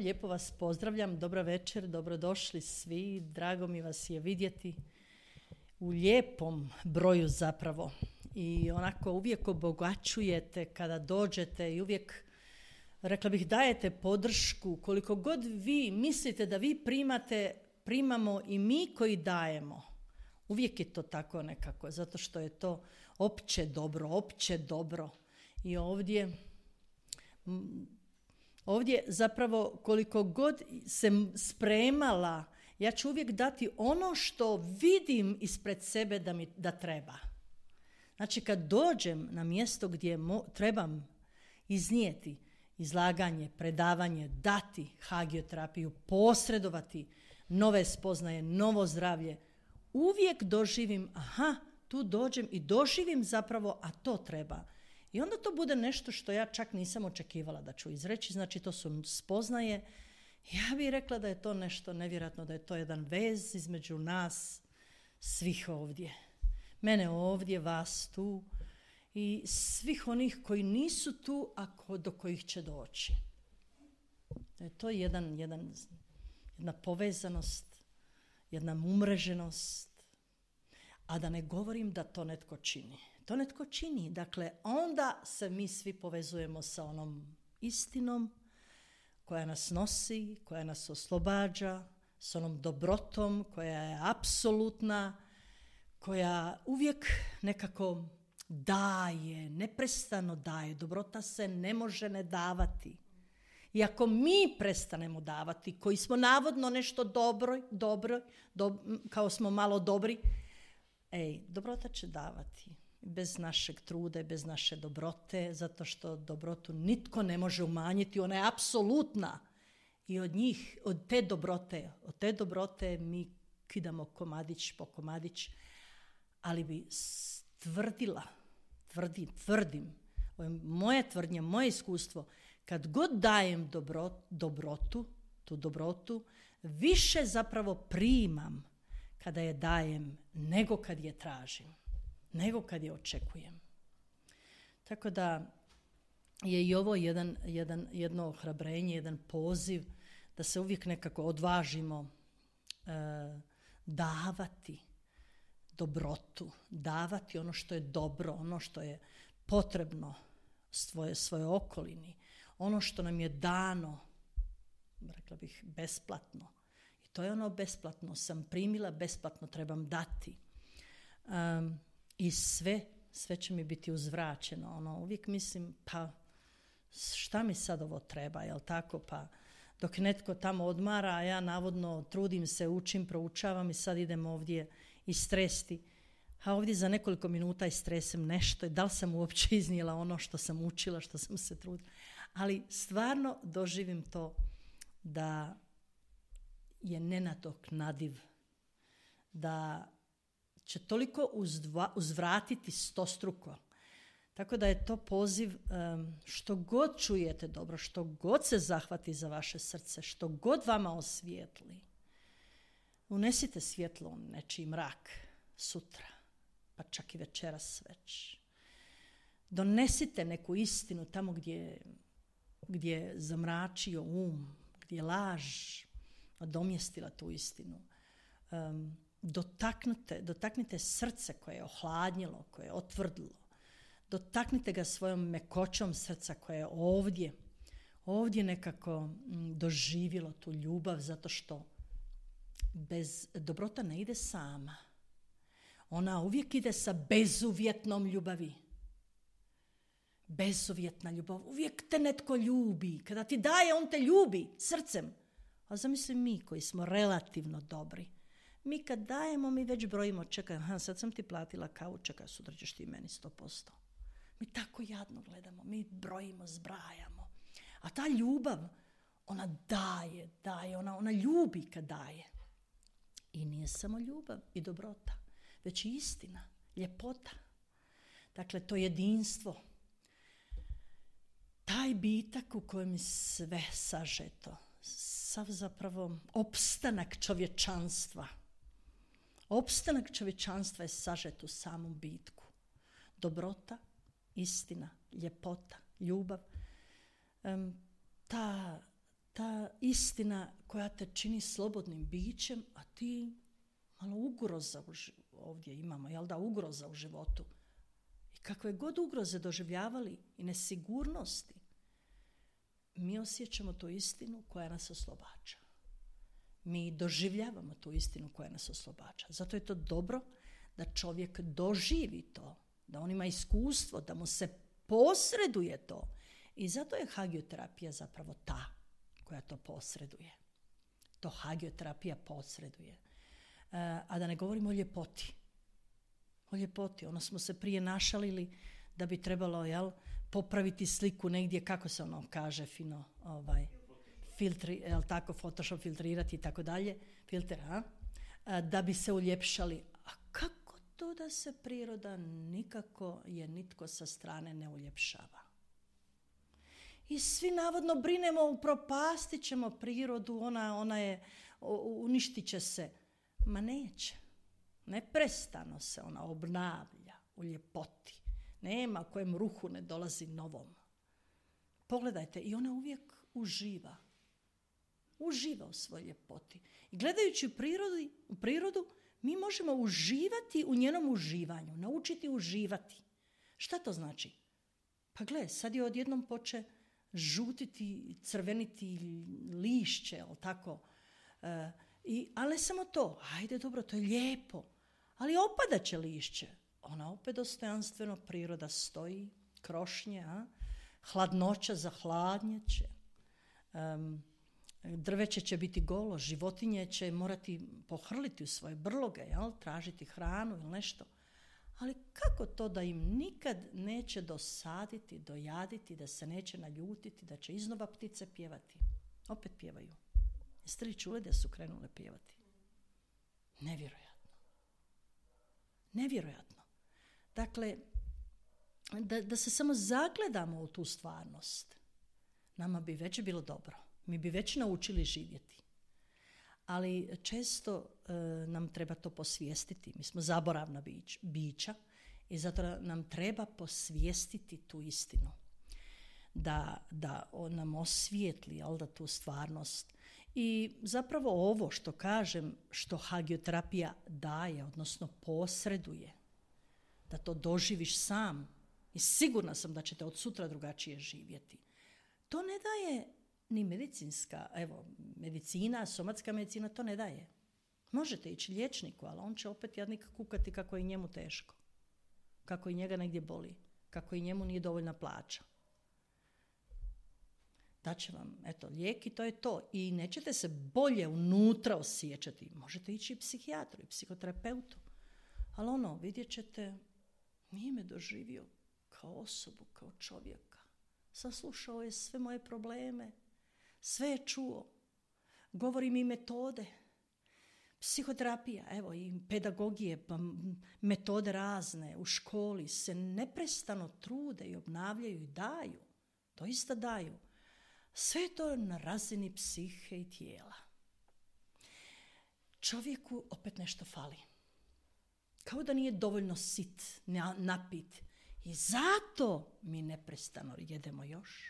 Lijepo vas pozdravljam, dobra večer, dobrodošli svi, drago mi vas je vidjeti u lijepom broju zapravo i onako uvijek obogaćujete kada dođete i uvijek, rekla bih, dajete podršku, koliko god vi mislite da vi primate, primamo i mi koji dajemo. Uvijek je to tako nekako, zato što je to opće dobro i ovdje zapravo koliko god se spremala, ja ću uvijek dati ono što vidim ispred sebe da treba. Znači kad dođem na mjesto gdje trebam iznijeti izlaganje, predavanje, dati hagioterapiju, posredovati nove spoznaje, novo zdravlje, uvijek doživim, tu dođem i doživim zapravo, a to treba. I onda to bude nešto što ja čak nisam očekivala da ću izreći, znači to su spoznaje. Ja bih rekla da je to nešto nevjerojatno, da je to jedan vez između nas svih ovdje. Mene ovdje, vas tu i svih onih koji nisu tu, a do kojih će doći. Da je to jedna povezanost, jedna umreženost, a da ne govorim da to netko čini. To netko čini, dakle, onda se mi svi povezujemo sa onom istinom koja nas nosi, koja nas oslobađa, s onom dobrotom koja je apsolutna, koja uvijek nekako daje, neprestano daje. Dobrota se ne može ne davati. I ako mi prestanemo davati, koji smo navodno nešto dobro, kao smo malo dobri, dobrota će davati. Bez našeg truda i bez naše dobrote, zato što dobrotu nitko ne može umanjiti, ona je apsolutna. I od te dobrote mi kidamo komadić po komadić, ali bi tvrdim, ovo je moja tvrdnja, moje iskustvo, kad god dajem tu dobrotu, više zapravo primam kada je dajem nego kad je tražim, nego kad je očekujem. Tako da je i ovo jedno ohrabrenje, jedan poziv da se uvijek nekako odvažimo davati dobrotu, davati ono što je dobro, ono što je potrebno svoje okolini, ono što nam je dano, rekla bih, besplatno. I to je ono besplatno, sam primila, besplatno trebam dati. I sve će mi biti uzvraćeno. Uvijek mislim, pa šta mi sad ovo treba, jel tako? Pa dok netko tamo odmara, a ja navodno trudim se, učim, proučavam i sad idem ovdje istresti. A ovdje za nekoliko minuta istresem nešto i da li sam uopće iznijela ono što sam učila, što sam se trudila. Ali stvarno doživim to da je nenadoknadiv, da će toliko uzvratiti stostruko. Tako da je to poziv, što god čujete dobro, što god se zahvati za vaše srce, što god vama osvijetli, unesite svjetlo u nečiji mrak sutra, pa čak i večeras već. Donesite neku istinu tamo gdje je zamračio gdje je laž nadomjestila tu istinu. Dotaknite srce koje je ohladnilo, koje je otvrdilo. Dotaknite ga svojom mekoćom srca koje je ovdje nekako doživjelo tu ljubav, zato što dobrota ne ide sama. Ona uvijek ide sa bezuvjetnom ljubavi. Bezuvjetna ljubav. Uvijek te netko ljubi. Kada ti daje, on te ljubi srcem. A zamisli mi koji smo relativno dobri. Mi kad dajemo, mi već brojimo, čekaj, sad sam ti platila kavu, čekaj, sutra ćeš ti meni 100%. Mi tako jadno gledamo, mi brojimo, zbrajamo. A ta ljubav, ona daje, ona ljubi kad daje. I nije samo ljubav i dobrota, već i istina, ljepota. Dakle, to jedinstvo. Taj bitak u kojem je sve sažeto, sav zapravo opstanak čovječanstva. Opstanak čovječanstva je sažet u samom bitku. Dobrota, istina, ljepota, ljubav. Ta ta istina koja te čini slobodnim bićem, a ti malo ugroza ovdje imamo, jel da, ugroza u životu. I kakve god ugroze doživljavali i nesigurnosti, mi osjećamo tu istinu koja nas oslobađa. Mi doživljavamo tu istinu koja nas oslobađa. Zato je to dobro da čovjek doživi to, da on ima iskustvo, da mu se posreduje to. I zato je hagioterapija zapravo ta koja to posreduje. To hagioterapija posreduje. A da ne govorimo o ljepoti. O ljepoti. Ono smo se prije našalili da bi trebalo, jel, popraviti sliku negdje, kako se ono kaže fino, filtri, jel tako, Photoshop filtrirati i tako dalje, filter, da bi se uljepšali. A kako to da se priroda nikako je nitko sa strane ne uljepšava? I svi navodno brinemo, upropastit ćemo prirodu, ona je, uništit će se. Ma neće. Neprestano se ona obnavlja u ljepoti. Nema kojem ruhu ne dolazi novom. Pogledajte, i ona uvijek uživa. Uživa u svojoj ljepoti. I gledajući u prirodu, mi možemo uživati u njenom uživanju, naučiti uživati. Šta to znači? Pa gle, sad je odjednom poče žutiti, crveniti lišće, jel tako? Ali ne samo to, ajde dobro, to je lijepo, ali opadat će lišće. Ona opet dostojanstveno, priroda stoji, krošnje, hladnoća zahladnjeće, drveće će biti golo, životinje će morati pohrliti u svoje brloge, jel? Tražiti hranu ili nešto. Ali kako to da im nikad neće dosaditi, dojaditi, da se neće naljutiti, da će iznova ptice pjevati? Opet pjevaju. Jeste li čuli da su krenule pjevati? Nevjerojatno. Nevjerojatno. Dakle, da se samo zagledamo u tu stvarnost, nama bi već bilo dobro. Mi bi već naučili živjeti. Ali često nam treba to posvijestiti. Mi smo zaboravna bića i zato nam treba posvijestiti tu istinu. Da on nam osvijetli, jel, da tu stvarnost. I zapravo ovo što kažem, što hagioterapija daje, odnosno posreduje, da to doživiš sam i sigurna sam da ćete od sutra drugačije živjeti. To ne daje ni medicinska, medicina, somatska medicina to ne daje. Možete ići liječniku, ali on će opet jadnik kukati kako je njemu teško, kako i njega negdje boli, kako i njemu nije dovoljna plaća. Daće vam, lijek i to je to. I nećete se bolje unutra osjećati. Možete ići i psihijatru i psihoterapeutu. Ali vidjet ćete, nije me doživio kao osobu, kao čovjeka. Saslušao je sve moje probleme. Sve je čuo. Govori mi metode. Psihoterapija, i pedagogije, pa metode razne u školi se neprestano trude i obnavljaju i daju. Doista daju. Sve je to na razini psihe i tijela. Čovjeku opet nešto fali. Kao da nije dovoljno sit, napit. I zato mi neprestano jedemo još,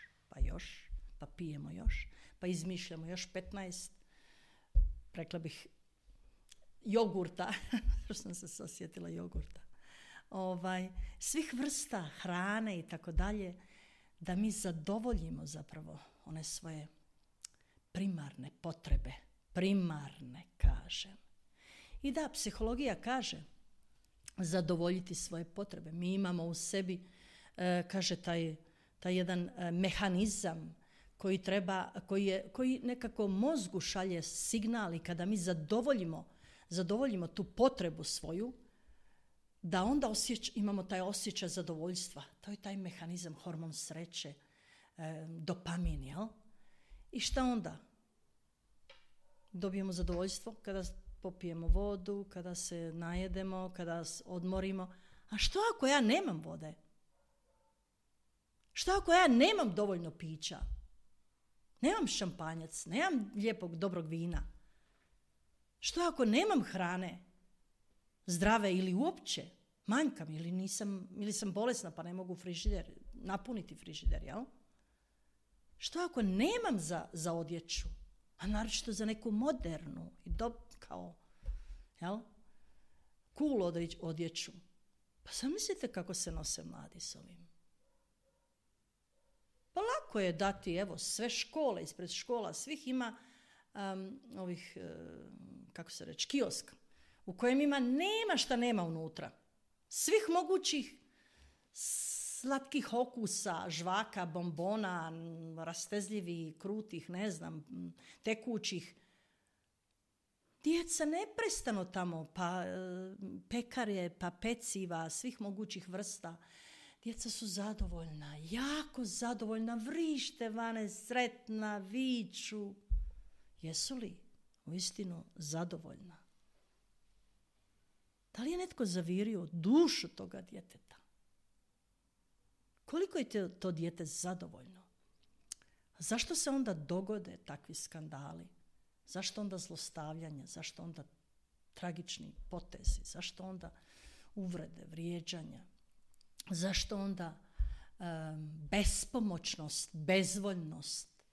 pa pijemo još, pa izmišljamo još 15, rekla bih, jogurta, što sam se osjetila jogurta, svih vrsta hrane i tako dalje, da mi zadovoljimo zapravo one svoje primarne potrebe. Primarne, kažem. I da, psihologija kaže zadovoljiti svoje potrebe. Mi imamo u sebi, kaže, taj jedan mehanizam koji nekako mozgu šalje signal i kada mi zadovoljimo tu potrebu svoju, da onda imamo taj osjećaj zadovoljstva. To je taj mehanizam, hormon sreće, dopamin, jel? I šta onda? Dobijemo zadovoljstvo kada popijemo vodu, kada se najedemo, kada odmorimo. A što ako ja nemam vode? Što ako ja nemam dovoljno pića? Nemam šampanjac, nemam lijepog, dobrog vina? Što ako nemam hrane? Zdrave ili uopće? Manjkam ili sam bolesna pa ne mogu napuniti frižider, jel? Što ako nemam za odjeću? A naročito za neku modernu i kao, jel? Cool odjeću. Pa zamislite kako se nose mladi s ovim. Pa lako je dati, evo, sve škole, ispred škola, svih ima ovih, kako se reći, kiosk, u kojem nema šta nema unutra. Svih mogućih slatkih okusa, žvaka, bombona, rastezljivih, krutih, ne znam, tekućih. Djeca neprestano tamo, pa pekare, pa peciva, svih mogućih vrsta. Djeca su zadovoljna, jako zadovoljna, vrište vane, sretna, viču. Jesu li uistinu zadovoljna? Da li je netko zavirio dušu toga djeteta? Koliko je to dijete zadovoljno? Zašto se onda dogode takvi skandali? Zašto onda zlostavljanje? Zašto onda tragični potezi? Zašto onda uvrede, vrijeđanja? Zašto onda bespomoćnost, bezvoljnost?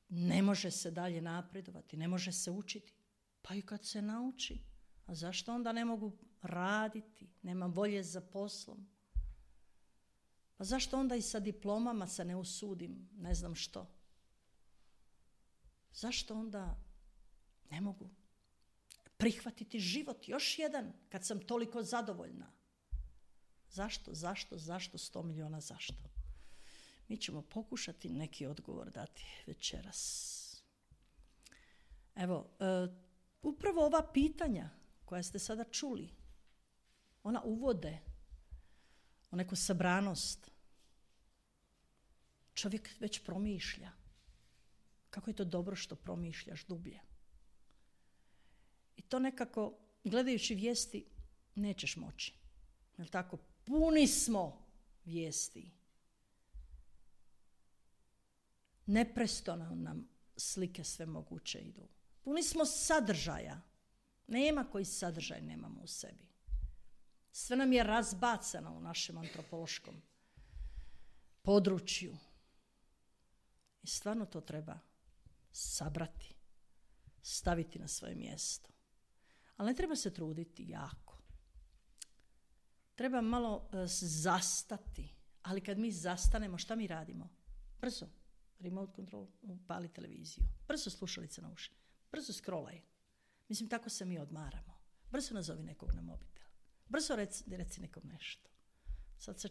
Ne može se dalje napredovati, ne može se učiti. Pa i kad se nauči, a zašto onda ne mogu raditi? Nema volje za poslom. Pa zašto onda i sa diplomama se ne usudim, ne znam što? Zašto onda ne mogu prihvatiti život još jedan kad sam toliko zadovoljna? Zašto? 100 milijuna zašto? Mi ćemo pokušati neki odgovor dati večeras. Evo, upravo ova pitanja koja ste sada čuli, ona uvode u neku sabranost. Čovjek već promišlja. Kako je to dobro što promišljaš dublje. I to nekako, gledajući vijesti, nećeš moći. Jel' tako? Puni smo vijesti. Neprestano nam slike sve moguće idu. Puni smo sadržaja. Nema koji sadržaj nemamo u sebi. Sve nam je razbacano u našem antropološkom području. I stvarno to treba sabrati, staviti na svoje mjesto. Ali ne treba se truditi jako. Treba malo zastati. Ali kad mi zastanemo, šta mi radimo? Brzo. Remote control, upali televiziju. Brzo slušalice na uši. Brzo scrollaj. Mislim, tako se mi odmaramo. Brzo nazovi nekog na mobitel. Brzo reci nekom nešto. Sad se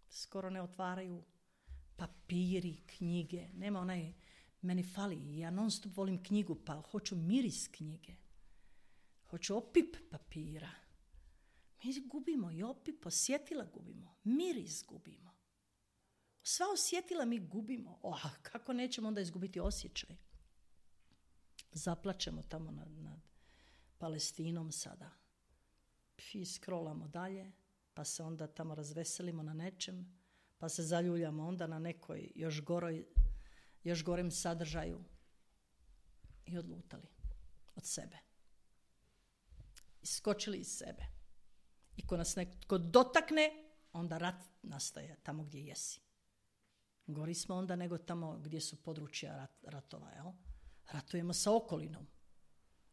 skoro ne otvaraju papiri, knjige. Nema meni fali. Ja non stop volim knjigu, pa hoću miris knjige. Hoću opip papira. Mi gubimo i opip, osjetila gubimo. Miris gubimo. Sva osjetila mi gubimo. Kako nećemo onda izgubiti osjećaj? Zaplačemo tamo nad Palestinom sada. Scrollamo dalje, pa se onda tamo razveselimo na nečem, pa se zaljuljamo onda na nekoj još gorem sadržaju i odlutali od sebe. Iskočili iz sebe. I ko nas netko dotakne, onda rat nastaje tamo gdje jesi. Gori smo onda nego tamo gdje su područja ratova, jel? Ratujemo sa okolinom.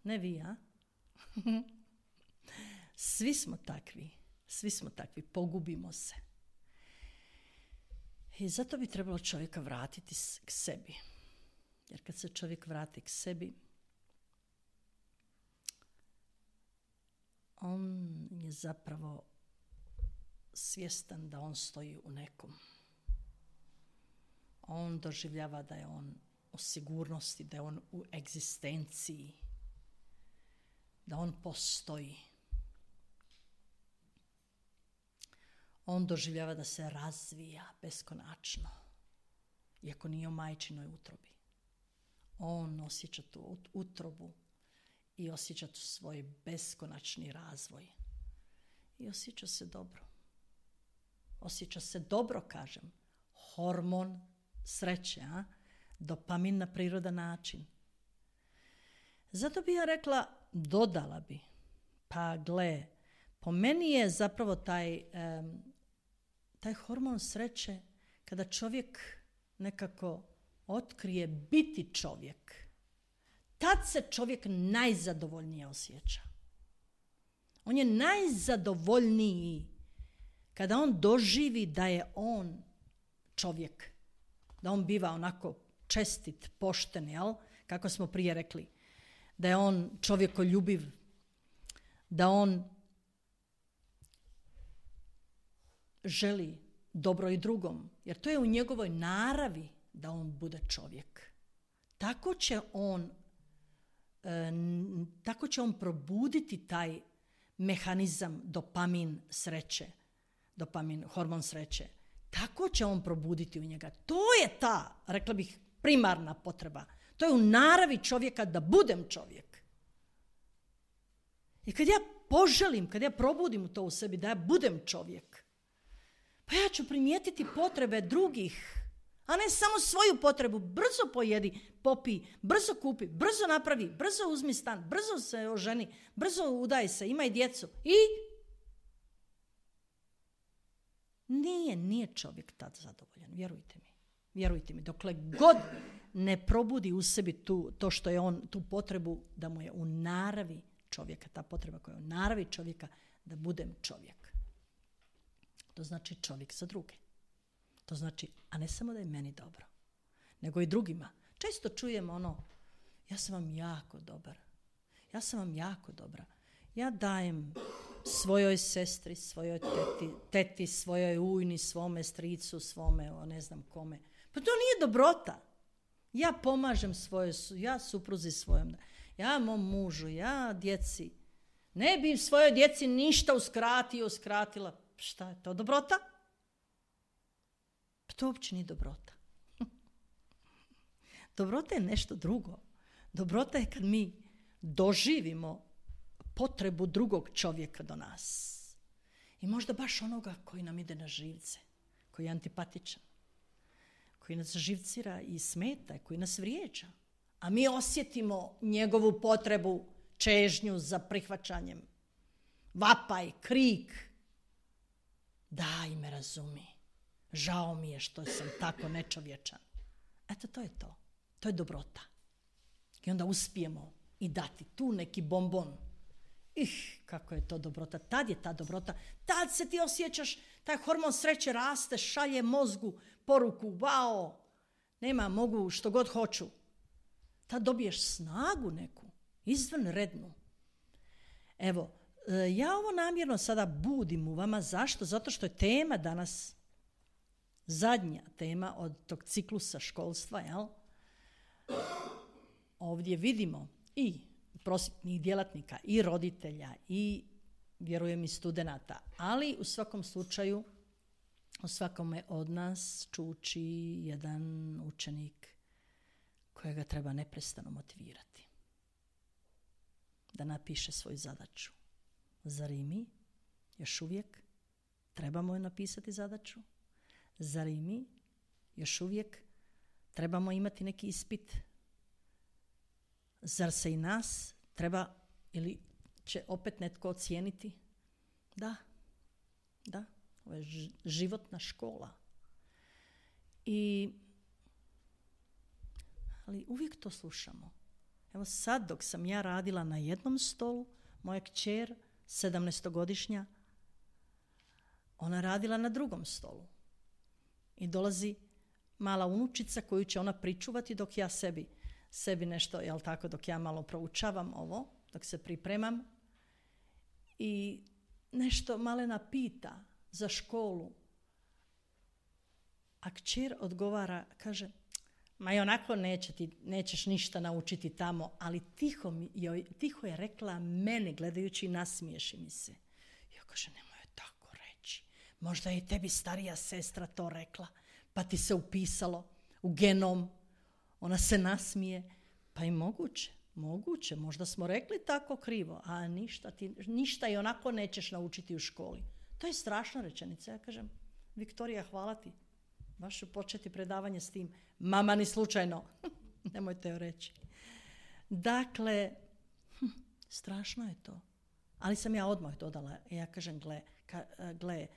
Ne vi, a? Svi smo takvi, pogubimo se. I zato bi trebalo čovjeka vratiti k sebi. Jer kad se čovjek vrati k sebi, on je zapravo svjestan da on stoji u nekom. On doživljava da je on u sigurnosti, da je on u egzistenciji, da on postoji. On doživljava da se razvija beskonačno, iako nije u majčinoj utrobi. On osjeća tu utrobu i osjeća tu svoj beskonačni razvoj. I osjeća se dobro. Osjeća se dobro, kažem. Hormon sreće, a? Dopamin na prirodan način. Zato bi ja rekla, dodala bi, pa gle, po meni je zapravo taj hormon sreće kada čovjek nekako otkrije biti čovjek, tad se čovjek najzadovoljnije osjeća. On je najzadovoljniji kada on doživi da je on čovjek. Da on biva onako čestit, pošten, jel? Kako smo prije rekli. Da je on čovjekoljubiv. Da on želi dobro i drugom. Jer to je u njegovoj naravi da on bude čovjek. Tako će on probuditi taj mehanizam dopamin sreće. Hormon sreće. Tako će on probuditi u njega. To je ta, rekla bih, primarna potreba. To je u naravi čovjeka da budem čovjek. I kad ja poželim, kad ja probudim to u sebi, da ja budem čovjek, pa ja ću primijetiti potrebe drugih, a ne samo svoju potrebu. Brzo pojedi, popij, brzo kupi, brzo napravi, brzo uzmi stan, brzo se oženi, brzo udaj se, imaj djecu. I nije čovjek tad zadovoljan, vjerujte mi. Dokle god ne probudi u sebi to što je on, tu potrebu da mu je u naravi čovjeka, ta potreba koja je u naravi čovjeka da budem čovjek. To znači čovjek za druge. To znači, a ne samo da je meni dobro, nego i drugima. Često čujem ja sam vam jako dobar. Ja sam vam jako dobra. Ja dajem svojoj sestri, svojoj teti, svojoj ujni, svome stricu, svome, ne znam kome. Pa to nije dobrota. Ja pomažem ja supruzi svojom, ja mom mužu, ja djeci. Ne bi svojoj djeci ništa uskratila. Šta je to, dobrota? Pa to uopće nije dobrota. Dobrota je nešto drugo. Dobrota je kad mi doživimo potrebu drugog čovjeka do nas. I možda baš onoga koji nam ide na živce, koji je antipatičan, koji nas živcira i smeta, koji nas vrijeđa. A mi osjetimo njegovu potrebu, čežnju za prihvaćanjem. Vapaj, krik. Daj me razumi. Žao mi je što sam tako nečovječan. Eto, to je to. To je dobrota. I onda uspijemo i dati tu neki bombon. Kako je to dobrota. Tad je ta dobrota. Tad se ti osjećaš, taj hormon sreće raste, šalje mozgu poruku, wow, mogu što god hoću. Tad dobiješ snagu neku, izvanrednu. Evo, ja ovo namjerno sada budim u vama. Zašto? Zato što je tema danas zadnja tema od tog ciklusa školstva, jel? Ovdje vidimo i prosvjetnih djelatnika, i roditelja, i vjerujem i studenata, ali u svakom slučaju u svakome od nas čuči jedan učenik kojega treba neprestano motivirati da napiše svoju zadaću. Zar i mi još uvijek trebamo je napisati zadaću? Zar i mi još uvijek trebamo imati neki ispit? Zar se i nas treba ili će opet netko ocijeniti? Da. Ovo je životna škola. Ali uvijek to slušamo. Evo sad dok sam ja radila na jednom stolu, moja kćer, 17-godišnja, ona radila na drugom stolu. I dolazi mala unučica koju će ona pričuvati dok ja sebi nešto, jel tako, dok ja malo proučavam ovo, dok se pripremam. I nešto malena pita za školu. A kćer odgovara, kaže, ma i onako nećeš ništa naučiti tamo, ali tiho je rekla mene, gledajući, nasmiješi mi se. Ja kažem, nemoj tako reći. Možda je tebi starija sestra to rekla, pa ti se upisalo u genom. Ona se nasmije. Pa i moguće, možda smo rekli tako krivo, a ništa i onako nećeš naučiti u školi. To je strašna rečenica. Ja kažem, Viktorija, hvala ti. Baš ću početi predavanje s tim. Mama, ni slučajno. Nemojte joj reći. Dakle, strašno je to. Ali sam ja odmah dodala. Ja kažem, gle,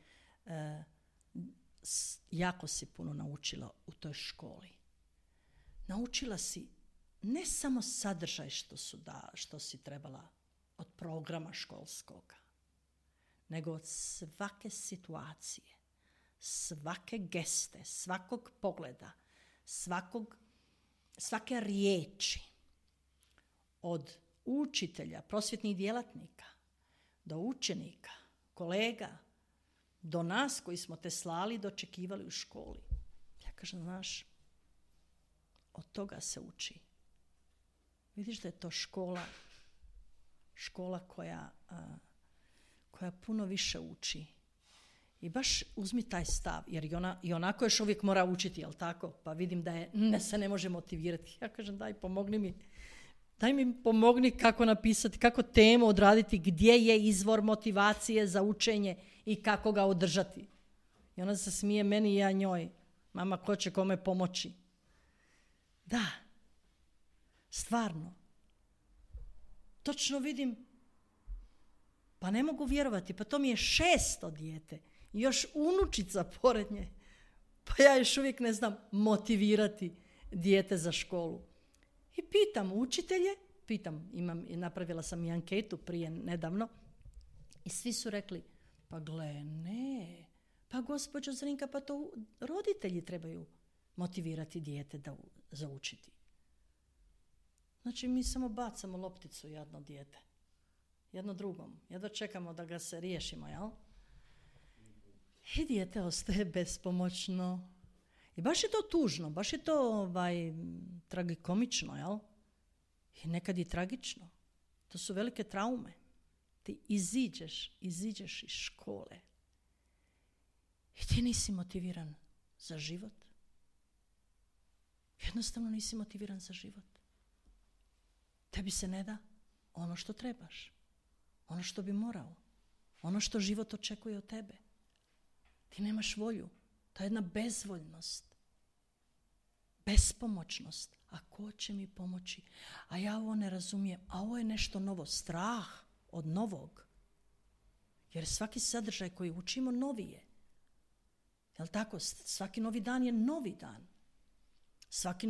jako si puno naučila u toj školi. Naučila si ne samo sadržaj što si trebala od programa školskoga, nego od svake situacije, svake geste, svakog pogleda, svake riječi, od učitelja, prosvjetnih djelatnika, do učenika, kolega, do nas koji smo te slali i dočekivali u školi. Ja kažem, znaš, od toga se uči. Vidiš da je to škola koja puno više uči. I baš uzmi taj stav, jer i onako još uvijek mora učiti, jel tako? Pa vidim da se ne može motivirati. Ja kažem, daj mi pomogni kako napisati, kako temu odraditi, gdje je izvor motivacije za učenje i kako ga održati. I ona se smije meni i ja njoj. Mama, ko će kome pomoći? Da, stvarno. Točno vidim, pa ne mogu vjerovati, pa to mi je 6. dijete. I još unučica pored nje. Pa ja još uvijek ne znam motivirati dijete za školu. I pitam učitelje, napravila sam i anketu prije nedavno, i svi su rekli, pa gle, ne, pa gospođo Zrinka, pa to roditelji trebaju motivirati dijete za učiti. Znači, mi samo bacamo lopticu jedno dijete, jedno drugom, jedno čekamo da ga se riješimo, jel? I dijete ostaje bespomoćno. I baš je to tužno, baš je to tragikomično, jel? I nekad i tragično. To su velike traume. Ti iziđeš iz škole i ti nisi motiviran za život. Jednostavno nisi motiviran za život. Tebi se ne da ono što trebaš, ono što bi morao, ono što život očekuje od tebe. Ti nemaš volju. To je jedna bezvoljnost, bespomoćnost. A ko će mi pomoći? A ja ovo ne razumijem. A ovo je nešto novo. Strah od novog. Jer svaki sadržaj koji učimo novi je. Jel' tako? Svaki novi dan je novi dan. Svaki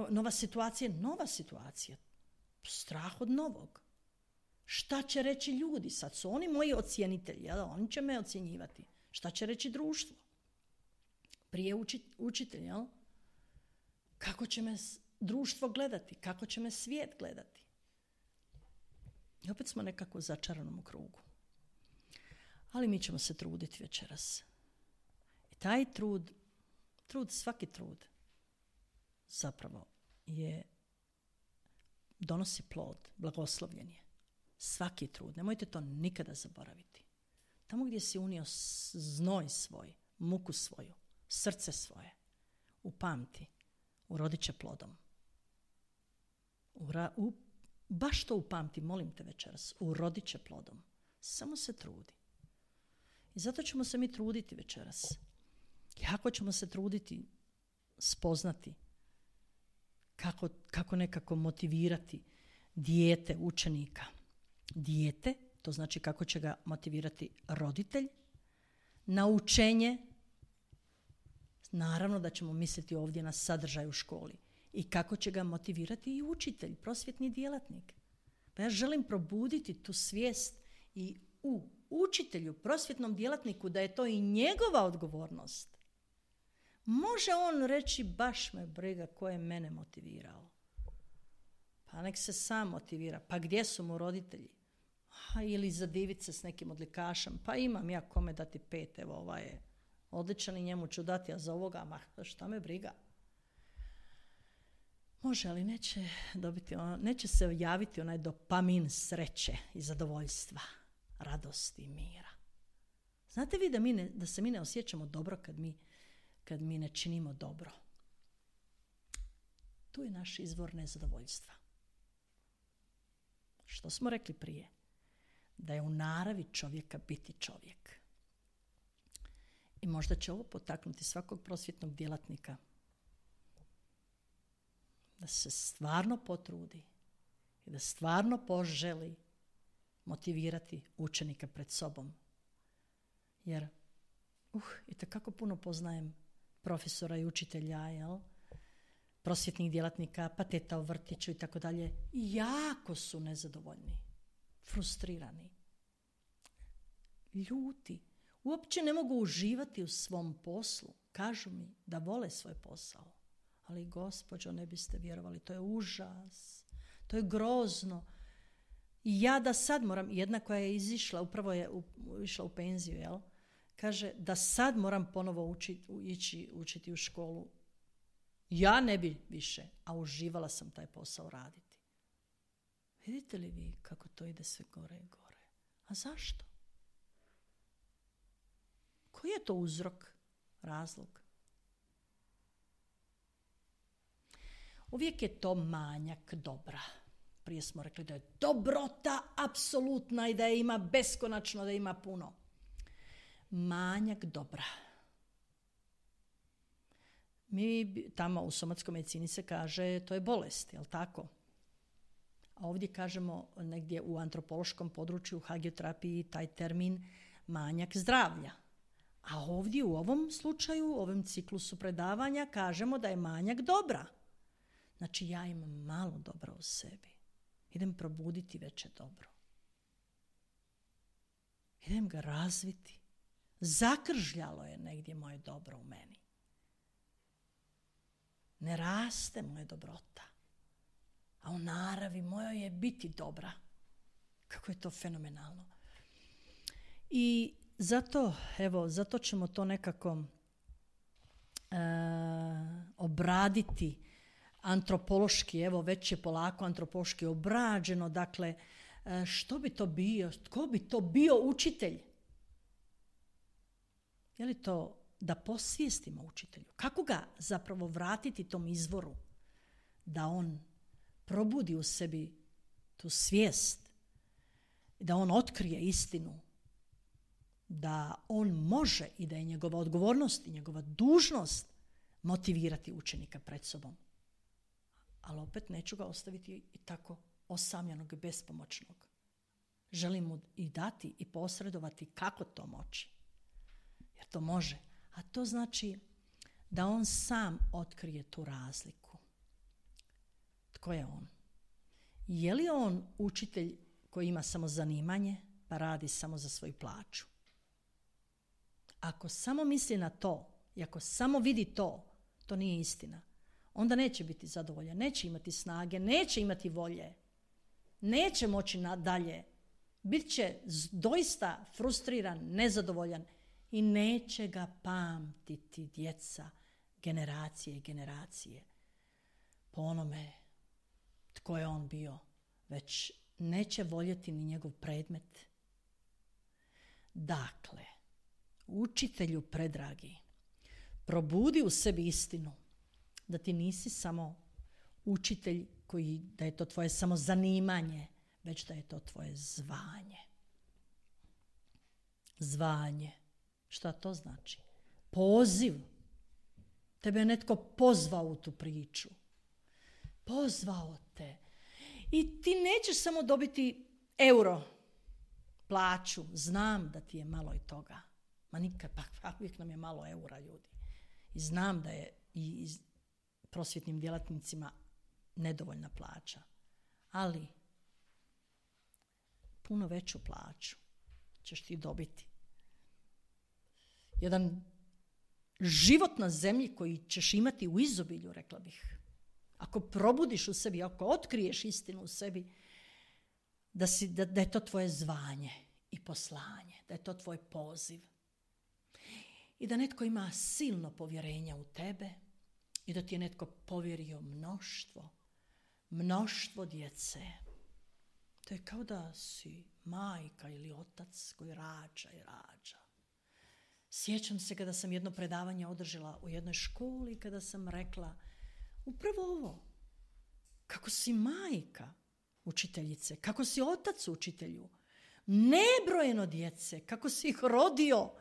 nova situacija je nova situacija. Strah od novog. Šta će reći ljudi? Sad su oni moji ocjenitelji. Jel? Oni će me ocjenjivati. Šta će reći društvo? Prije učitelj, jel? Kako će me društvo gledati? Kako će me svijet gledati? I opet smo nekako u začaranom krugu. Ali mi ćemo se truditi večeras. I taj svaki trud zapravo donosi plod, blagoslovljen je. Svaki trud, nemojte to nikada zaboraviti. Tamo gdje si unio znoj svoj, muku svoju, srce svoje, upamti, urodit će plodom. Baš to upamti, molim te večeras, urodit će plodom. Samo se trudi. I zato ćemo se mi truditi večeras. Jako ćemo se truditi spoznati kako nekako motivirati dijete, učenika. Dijete, to znači kako će ga motivirati roditelj, na učenje. Naravno da ćemo misliti ovdje na sadržaj u školi. I kako će ga motivirati i učitelj, prosvjetni djelatnik. Pa ja želim probuditi tu svijest i u učitelju, prosvjetnom djelatniku, da je to i njegova odgovornost. Može on reći, baš me briga ko je mene motivirao. Pa nek se sam motivira. Pa gdje su mu roditelji? Ili zadiviti se s nekim odlikašem. Pa imam ja kome dati 5, evo ovaj je odličan i njemu ću dati, a za ovoga, šta me briga. Može, ali neće se javiti onaj dopamin sreće i zadovoljstva, radosti i mira. Znate vi da se mi ne osjećamo dobro kad mi ne činimo dobro? Tu je naš izvor nezadovoljstva. Što smo rekli prije? Da je u naravi čovjeka biti čovjek. I možda će ovo potaknuti svakog prosvjetnog djelatnika da se stvarno potrudi i da stvarno poželi motivirati učenika pred sobom. Jer itekako puno poznajem profesora i učitelja, prosvjetnih djelatnika, pa teta u vrtiću i tako dalje. Jako su nezadovoljni, frustrirani, ljuti. Uopće ne mogu uživati u svom poslu. Kažu mi da vole svoj posao. Ali gospođo, ne biste vjerovali, to je užas. To je grozno. I ja da sad moram, jedna koja je izišla, upravo je išla u penziju, kaže da sad moram ponovo ići učiti u školu. Ja ne bi više, a uživala sam taj posao raditi. Vidite li vi kako to ide sve gore i gore? A zašto? Koji je to uzrok, razlog? Uvijek je to manjak dobra. Prije smo rekli da je dobrota apsolutna i da je ima beskonačno, da ima puno. Manjak dobra. Mi tamo u somatskoj medicini se kaže to je bolest, jel tako? A ovdje kažemo negdje u antropološkom području, u hagioterapiji, taj termin manjak zdravlja. A ovdje u ovom slučaju, u ovom ciklusu predavanja kažemo da je manjak dobra. Znači ja imam malo dobra u sebi. Idem probuditi veće dobro. Idem ga razviti. Zakržljalo je negdje moje dobro u meni. Ne raste moja dobrota. A u naravi mojoj je biti dobra. Kako je to fenomenalno. I zato ćemo to nekako obraditi antropološki, već je polako antropološki obrađeno, dakle, što bi to bio, tko bi to bio učitelj? Je li to da posvijestimo učitelju? Kako ga zapravo vratiti tom izvoru? Da on probudi u sebi tu svijest, da on otkrije istinu, da on može i da je njegova odgovornost i njegova dužnost motivirati učenika pred sobom. Ali opet neću ga ostaviti i tako osamljenog i bespomoćnog. Želim mu i dati i posredovati kako to moći. Jer to može. A to znači da on sam otkrije tu razliku. Tko je on? Je li on učitelj koji ima samo zanimanje pa radi samo za svoju plaću? Ako samo misli na to i ako samo vidi to, to nije istina. Onda neće biti zadovoljan, neće imati snage, neće imati volje, neće moći nadalje. Bit će doista frustriran, nezadovoljan i neće ga pamtiti djeca, generacije i generacije po onome tko je on bio, već neće voljeti ni njegov predmet. Dakle, učitelju predragi, probudi u sebi istinu da ti nisi samo učitelj da je to tvoje samo zanimanje, već da je to tvoje zvanje. Zvanje. Šta to znači? Poziv. Tebe je netko pozvao u tu priču. Pozvao te. I ti nećeš samo dobiti euro, plaću. Znam da ti je malo i toga. Ma nikad, pa uvijek nam je malo eura, ljudi. I znam da je i prosvjetnim djelatnicima nedovoljna plaća. Ali puno veću plaću ćeš ti dobiti. Jedan život na zemlji koji ćeš imati u izobilju, rekla bih. Ako probudiš u sebi, ako otkriješ istinu u sebi, da je to tvoje zvanje i poslanje, da je to tvoj poziv. I da netko ima silno povjerenja u tebe i da ti je netko povjerio mnoštvo djece. To je kao da si majka ili otac koji rađa i rađa. Sjećam se kada sam jedno predavanje održala u jednoj školi, kada sam rekla upravo ovo, kako si majka učiteljice, kako si otac učitelju, nebrojeno djece, kako si ih rodio,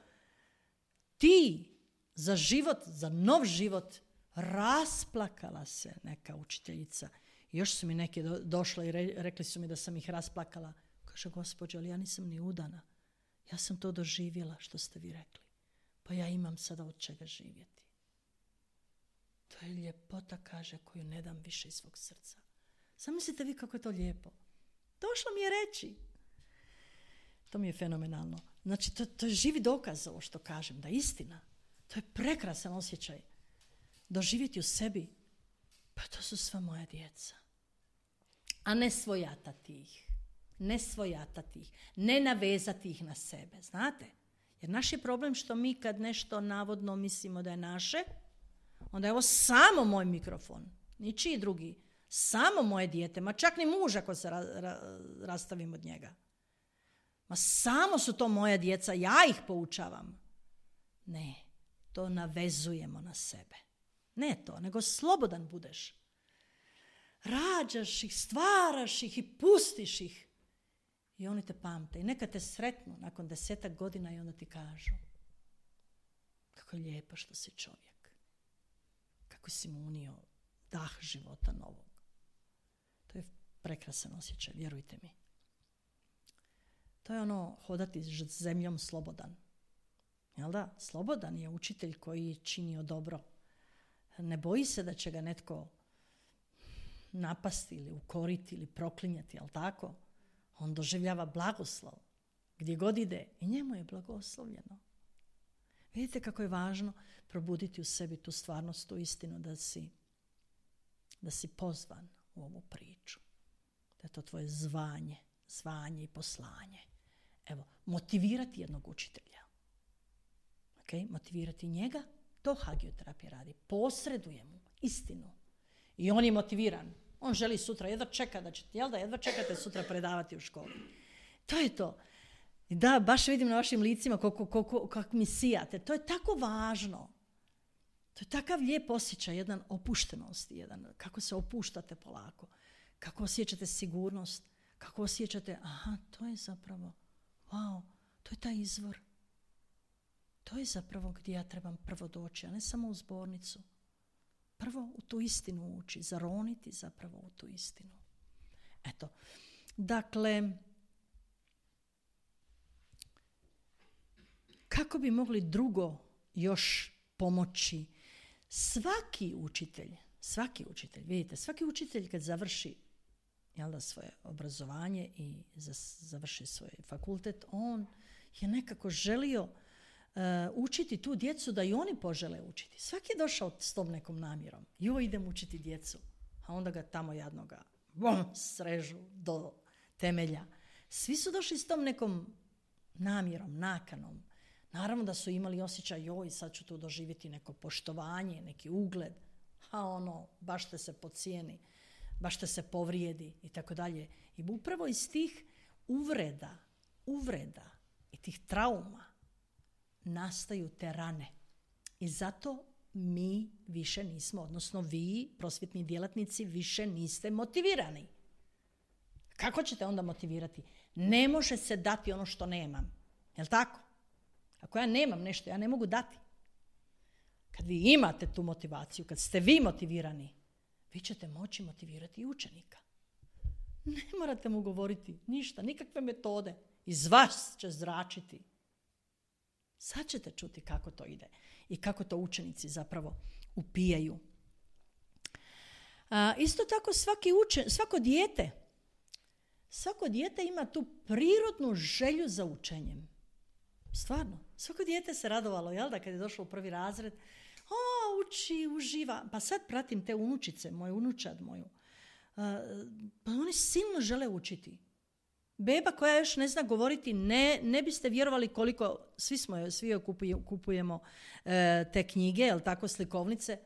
ti za život, za nov život, rasplakala se neka učiteljica. Još su mi neke došle i rekli su mi da sam ih rasplakala. Kaže, gospođo, ali ja nisam ni udana. Ja sam to doživjela što ste vi rekli. pa ja imam sada od čega živjeti. To je ljepota, kaže, koju ne dam više iz svog srca. Zamislite vi kako je to lijepo. Došlo mi je reći. To mi je fenomenalno. Znači, to je živi dokaz ovo što kažem, da je istina. To je prekrasan osjećaj. Doživjeti u sebi, pa to su sva moja djeca. A ne svojatati ih. Ne navezati ih na sebe, znate? Jer naš je problem što mi kad nešto navodno mislimo da je naše, onda je ovo samo moj mikrofon, ničiji drugi, samo moje dijete, ma čak ni muž ako se rastavim od njega. Ma samo su to moja djeca, ja ih poučavam. Ne, to navezujemo na sebe. Ne to, nego slobodan budeš. Rađaš ih, stvaraš ih i pustiš ih. I oni te pamte. I neka te sretnu nakon 10 godina i onda ti kažu kako je lijepo što si čovjek. Kako si mu unio dah života novog. To je prekrasan osjećaj, vjerujte mi. To je ono hodati zemljom slobodan. Jel da? Slobodan je učitelj koji činio dobro. Ne boji se da će ga netko napasti ili ukoriti ili proklinjati, jel tako? On doživljava blagoslov. Gdje god ide i njemu je blagoslovljeno. Vidite kako je važno probuditi u sebi tu stvarnost, tu istinu da si pozvan u ovu priču. Da je to tvoje zvanje i poslanje. Evo, motivirati jednog učitelja. Okay? Motivirati njega, to hagioterapija radi. Posreduje mu istinu. I on je motiviran. On želi sutra, jedva čekate sutra predavati u školi. To je to. Da, baš vidim na vašim licima kako mi sijate. To je tako važno. To je takav lijep osjećaj, jedan opuštenosti, jedan kako se opuštate polako. Kako osjećate sigurnost, kako osjećate, aha, to je zapravo, wow, to je taj izvor. To je zapravo gdje ja trebam prvo doći, a ne samo u zbornicu. Prvo u tu istinu ući, zaroniti zapravo u tu istinu. Eto, dakle, kako bi mogli drugo još pomoći? Svaki učitelj, vidite, svaki učitelj kad završi svoje obrazovanje i završi svoj fakultet, on je nekako želio učiti tu djecu da i oni požele učiti. Svaki je došao s tom nekom namjerom. Idem učiti djecu. A onda ga tamo jadnoga srežu do temelja. Svi su došli s tom nekom namjerom, nakanom. Naravno da su imali osjećaj, sad ću tu doživjeti neko poštovanje, neki ugled. Baš te se pocijeni, baš te se povrijedi i tako dalje. I upravo iz tih uvreda i tih trauma nastaju te rane. I zato mi više nismo, odnosno vi, prosvjetni djelatnici, više niste motivirani. Kako ćete onda motivirati? Ne može se dati ono što nemam. Jel' tako? Ako ja nemam nešto, ja ne mogu dati. Kad vi imate tu motivaciju, kad ste vi motivirani, vi ćete moći motivirati i učenika. Ne morate mu govoriti ništa, nikakve metode. Iz vas će zračiti. Sad ćete čuti kako to ide i kako to učenici zapravo upijaju. Isto tako svako dijete ima tu prirodnu želju za učenjem. Stvarno, svako dijete se radovalo, jel da, kad je došlo u prvi razred, uči, uživa. Pa sad pratim te unučice, moju unučad moju. Pa oni silno žele učiti. Beba koja još ne zna govoriti, ne biste vjerovali koliko, svi joj kupujemo te knjige, jel tako, slikovnice,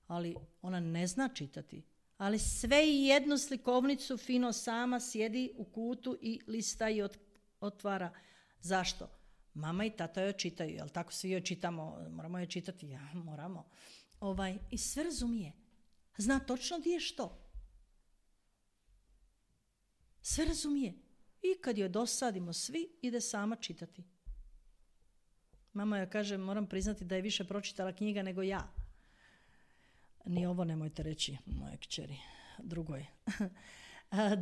ali ona ne zna čitati. Ali sve i jednu slikovnicu fino sama sjedi u kutu i lista i otvara. Zašto? Mama i tata joj čitaju, jel tako, svi joj čitamo, moramo joj čitati, moramo. I sve razumije. Zna točno gdje je što. Sve razumije. I kad joj dosadimo svi, ide sama čitati. Mama joj kaže, moram priznati da je više pročitala knjiga nego ja. Ni ovo nemojte reći moje kćeri, drugoj.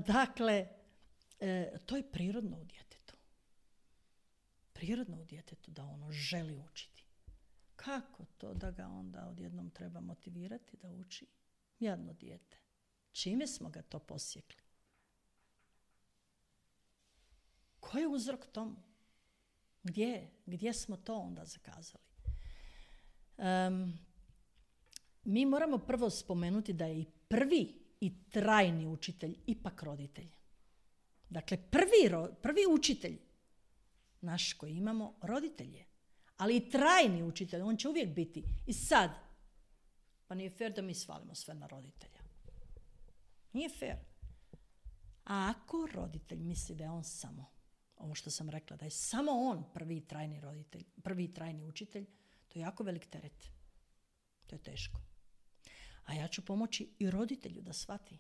Dakle, to je prirodno u djetetu. Prirodno u djetetu da ono želi učiti. Kako to da ga onda odjednom treba motivirati da uči? Jadno dijete. Čime smo ga to posjekli? Ko je uzrok tomu? Gdje smo to onda zakazali? Mi moramo prvo spomenuti da je i prvi i trajni učitelj ipak roditelj. Dakle, prvi učitelj naš koji imamo roditelj je. Ali i trajni učitelj, on će uvijek biti. I sad, pa nije fair da mi svalimo sve na roditelja. Nije fair. A ako roditelj misli da je on samo, ovo što sam rekla, da je samo on prvi trajni roditelj, prvi trajni učitelj, to je jako velik teret. To je teško. A ja ću pomoći i roditelju da shvati.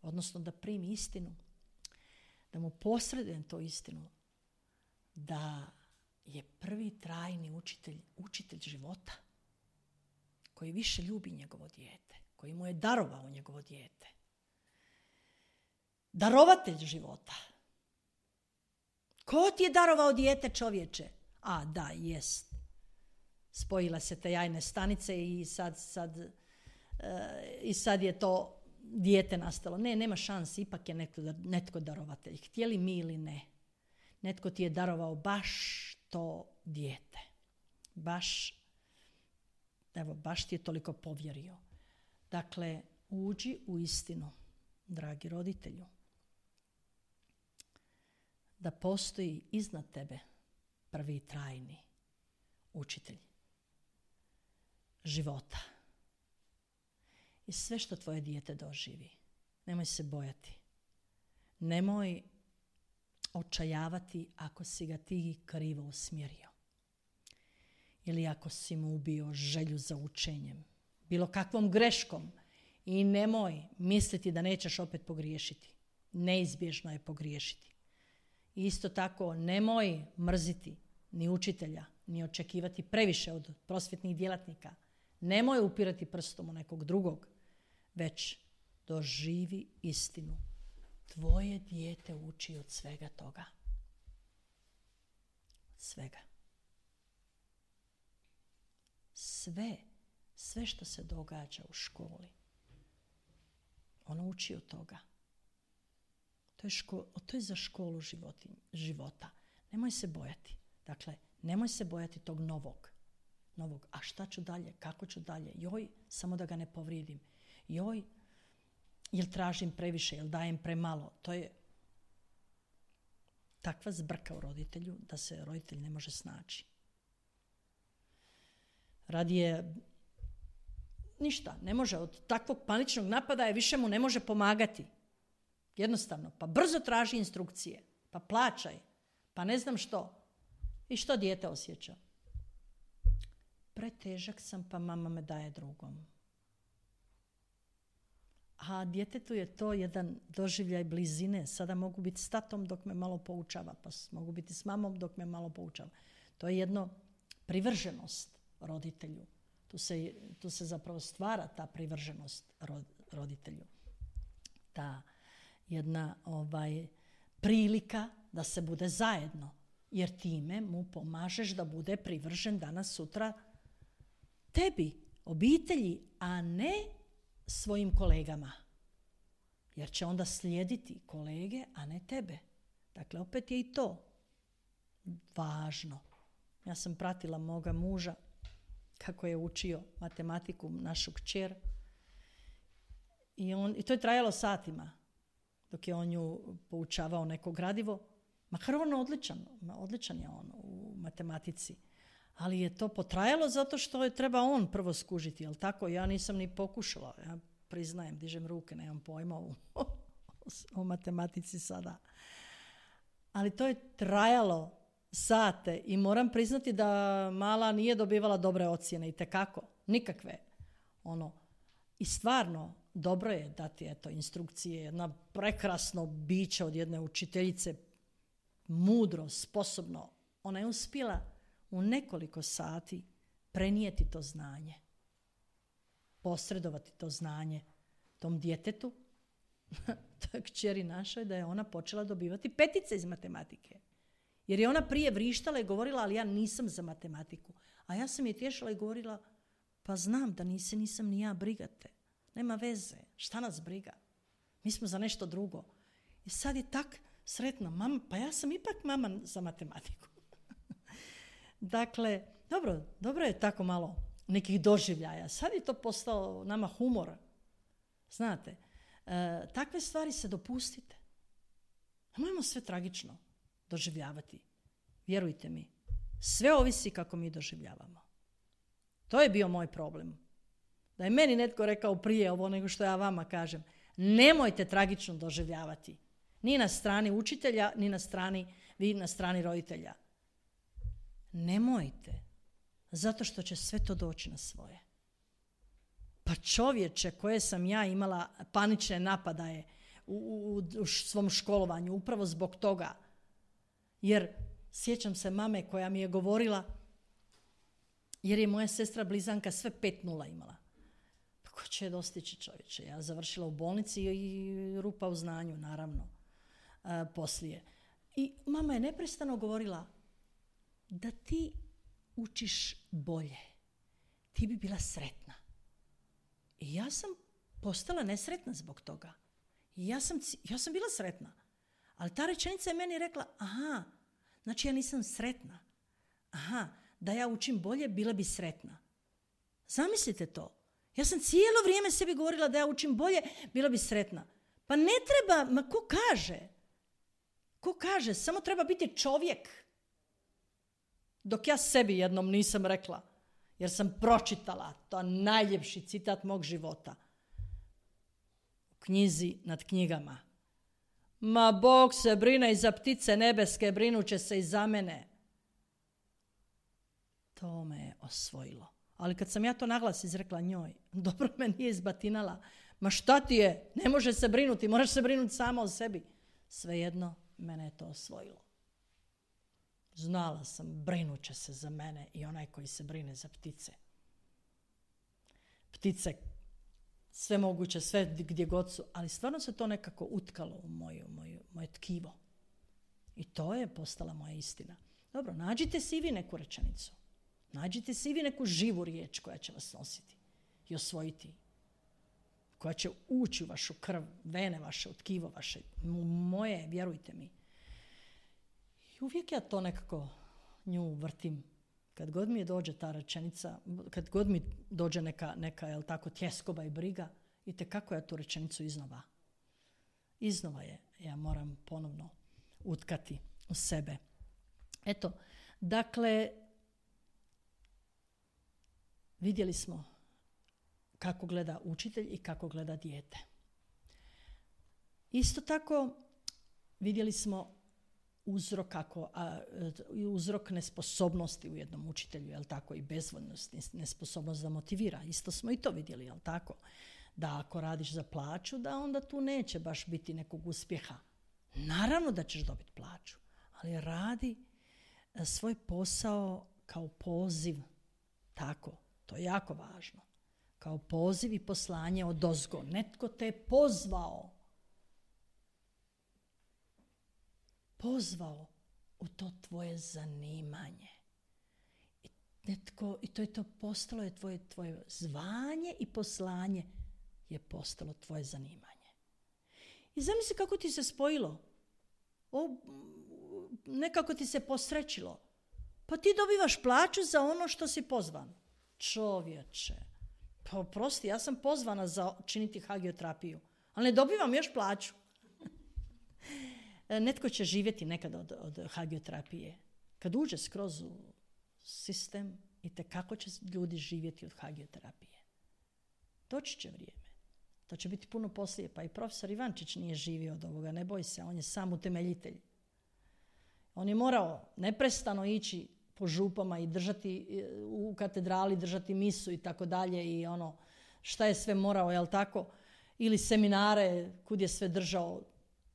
Odnosno da primi istinu. Da mu posredujem to istinu. Da je prvi trajni učitelj života. Koji više ljubi njegovo dijete. Koji mu je darovao njegovo dijete. Darovatelj života. Ko ti je darovao dijete, čovječe? A, da, jest. Spojila se te jajne stanice i sad je to dijete nastalo. Ne, nema šanse, ipak je netko darovatelj. Htjeli mi ili ne. Netko ti je darovao baš to dijete. Baš ti je toliko povjerio. Dakle, uđi u istinu, dragi roditelju. Da postoji iznad tebe prvi trajni učitelj života. I sve što tvoje dijete doživi, nemoj se bojati. Nemoj očajavati ako si ga ti krivo usmjerio. Ili ako si mu ubio želju za učenjem. Bilo kakvom greškom. I nemoj misliti da nećeš opet pogriješiti. Neizbježno je pogriješiti. Isto tako, nemoj mrziti ni učitelja, ni očekivati previše od prosvjetnih djelatnika. Nemoj upirati prstom u nekog drugog, već doživi istinu. Tvoje dijete uči od svega toga. Svega. Sve što se događa u školi, ono uči od toga. To je za školu života. Nemoj se bojati. Dakle, nemoj se bojati tog novog. A šta ću dalje? Kako ću dalje? Joj, samo da ga ne povrijedim. Joj, jel tražim previše, jel dajem premalo? To je takva zbrka u roditelju da se roditelj ne može snaći. Radije ništa, ne može. Od takvog paničnog napadaja više mu ne može pomagati. Jednostavno, pa brzo traži instrukcije, pa plaćaj, pa ne znam što. I što dijete osjeća? Pretežak sam, pa mama me daje drugom. A djetetu je to jedan doživljaj blizine. Sada mogu biti s tatom dok me malo poučava, pa mogu biti s mamom dok me malo poučava. To je jedno privrženost roditelju. Tu se zapravo stvara ta privrženost roditelju. Ta jedna prilika da se bude zajedno. Jer time mu pomažeš da bude privržen danas sutra tebi, obitelji, a ne svojim kolegama. Jer će onda slijediti kolege, a ne tebe. Dakle, opet je i to važno. Ja sam pratila moga muža kako je učio matematiku, našu kćer. I to je trajalo satima. Dok je on nju poučavao neko gradivo. Makar on odličan je on u matematici. Ali je to potrajalo zato što je treba on prvo skužiti. Jel tako? Ja nisam ni pokušala. Ja priznajem, dižem ruke, nemam pojma o matematici sada. Ali to je trajalo sate i moram priznati da mala nije dobivala dobre ocjene itekako. Nikakve. I stvarno dobro je dati instrukcije. Jedna prekrasno biće od jedne učiteljice, mudro, sposobno. Ona je uspjela u nekoliko sati prenijeti to znanje. Posredovati to znanje tom djetetu, toj kćeri našoj, da je ona počela dobivati petice iz matematike. Jer je ona prije vrištala i govorila, ali ja nisam za matematiku. A ja sam je tješila i govorila, pa znam da nisam ni ja, brigate. Nema veze, šta nas briga? Mi smo za nešto drugo. I sad je tak sretna mama, pa ja sam ipak mama za matematiku. Dakle, dobro je tako malo nekih doživljaja. Sad je to postao nama humor. Znate, takve stvari se dopustite. Nemojmo sve tragično doživljavati. Vjerujte mi, sve ovisi kako mi doživljavamo. To je bio moj problem. Da je meni netko rekao prije ovo nego što ja vama kažem. Nemojte tragično doživljavati. Ni na strani učitelja, ni na strani roditelja. Nemojte. Zato što će sve to doći na svoje. Pa čovječe koje sam ja imala panične napadaje u svom školovanju, upravo zbog toga. Jer sjećam se mame koja mi je govorila, jer je moja sestra blizanka sve 5-0 imala. Pa ko će je dostići, čovječe? Ja završila u bolnici i rupa u znanju, naravno, poslije. I mama je neprestano govorila, da ti učiš bolje, ti bi bila sretna. I ja sam postala nesretna zbog toga. I ja sam bila sretna. Ali ta rečenica je meni rekla, aha, znači ja nisam sretna. Aha, da ja učim bolje, bila bi sretna. Zamislite to. Ja sam cijelo vrijeme sebi govorila da ja učim bolje, bila bi sretna. Pa ne treba, ma ko kaže? Ko kaže? Samo treba biti čovjek. Dok ja sebi jednom nisam rekla, jer sam pročitala, to je najljepši citat mog života, u knjizi nad knjigama. Ma Bog se brine i za ptice nebeske, brinuće se i za mene. To me je osvojilo. Ali kad sam ja to naglas izrekla njoj, dobro me nije izbatinala. Ma šta ti je? Ne može se brinuti, moraš se brinuti sama o sebi. Svejedno, mene je to osvojilo. Znala sam, brinuće se za mene i onaj koji se brine za ptice. Ptice, sve moguće, sve gdje god su, ali stvarno se to nekako utkalo u moje tkivo. I to je postala moja istina. Dobro, nađite si i vi neku rečenicu. Nađite si i vi neku živu riječ koja će vas nositi i osvojiti. Koja će ući u vašu krv, vene vaše, u tkivo vaše, moje, vjerujte mi. I uvijek ja to nekako nju vrtim. Kad god mi dođe ta rečenica, kad god mi dođe neka jel tako, tjeskoba i briga, itekako ja tu rečenicu iznova je, ja moram ponovno utkati u sebe. Eto, dakle, vidjeli smo kako gleda učitelj i kako gleda dijete. Isto tako vidjeli smo uzrok nesposobnosti u jednom učitelju, jel tako, i bezvoljnost, nesposobnost da motivira. Isto smo i to vidjeli, jel tako, da ako radiš za plaću, da onda tu neće baš biti nekog uspjeha. Naravno da ćeš dobiti plaću, ali radi svoj posao kao poziv, tako, to je jako važno. Kao poziv i poslanje odozgo. Netko te je pozvao u to tvoje zanimanje. I to je to postalo je tvoje zvanje i poslanje je postalo tvoje zanimanje. I zamisli kako ti se spojilo. Nekako ti se posrećilo. Pa ti dobivaš plaću za ono što si pozvan. Čovječe, pa oprosti, ja sam pozvana za činiti hagioterapiju, ali ne dobivam još plaću. Netko će živjeti nekada od hagioterapije. Kad uđe skroz u sistem, itekako će ljudi živjeti od hagioterapije. Doći će vrijeme. To će biti puno poslije. Pa i profesor Ivančić nije živio od ovoga. Ne boj se, on je sam utemeljitelj. On je morao neprestano ići po župama i držati u katedrali, držati misu i tako dalje i ono šta je sve morao, jel tako? Ili seminare kud je sve držao,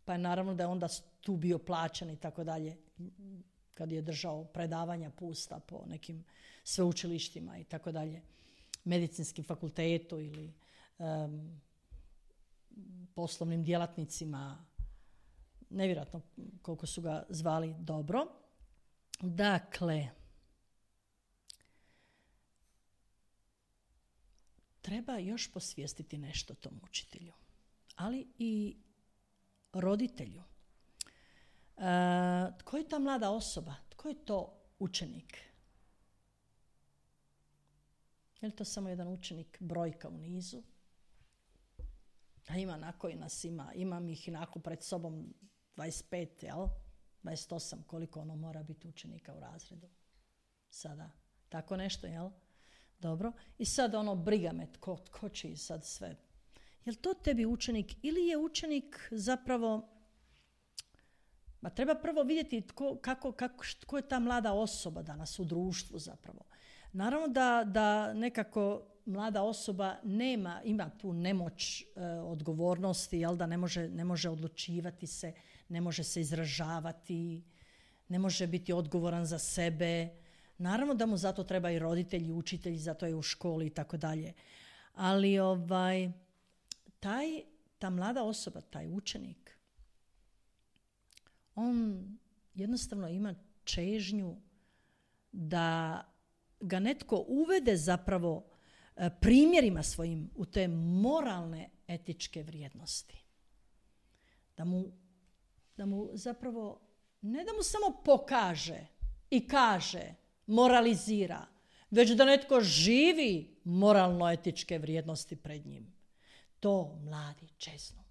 pa je naravno da je onda tu bio plaćen i tako dalje, kad je držao predavanja pusta po nekim sveučilištima i tako dalje, medicinskim fakultetu ili poslovnim djelatnicima, nevjerojatno koliko su ga zvali dobro. Dakle, treba još posvijestiti nešto tom učitelju, ali i roditelju. Tko je ta mlada osoba? Tko je to učenik? Je li to samo jedan učenik, brojka u nizu? A ima na koji nas ima. Imam ih inako pred sobom 25, jel? 28, koliko ono mora biti učenika u razredu. Sada, tako nešto, jel? Dobro. I sad ono, briga me, tko će i sad sve. Je li to tebi učenik ili je učenik zapravo... treba prvo vidjeti tko je ta mlada osoba danas u društvu zapravo. Naravno da nekako mlada osoba ima tu nemoć odgovornosti, jel, da ne može odlučivati se, ne može se izražavati, ne može biti odgovoran za sebe. Naravno da mu zato treba i roditelji, učitelji, zato je u školi i tako dalje. Ali ta mlada osoba, taj učenik, on jednostavno ima čežnju da ga netko uvede zapravo primjerima svojim u te moralne etičke vrijednosti. Da mu zapravo, ne da mu samo pokaže i kaže, moralizira, već da netko živi moralno-etičke vrijednosti pred njim. To mladi čeznu.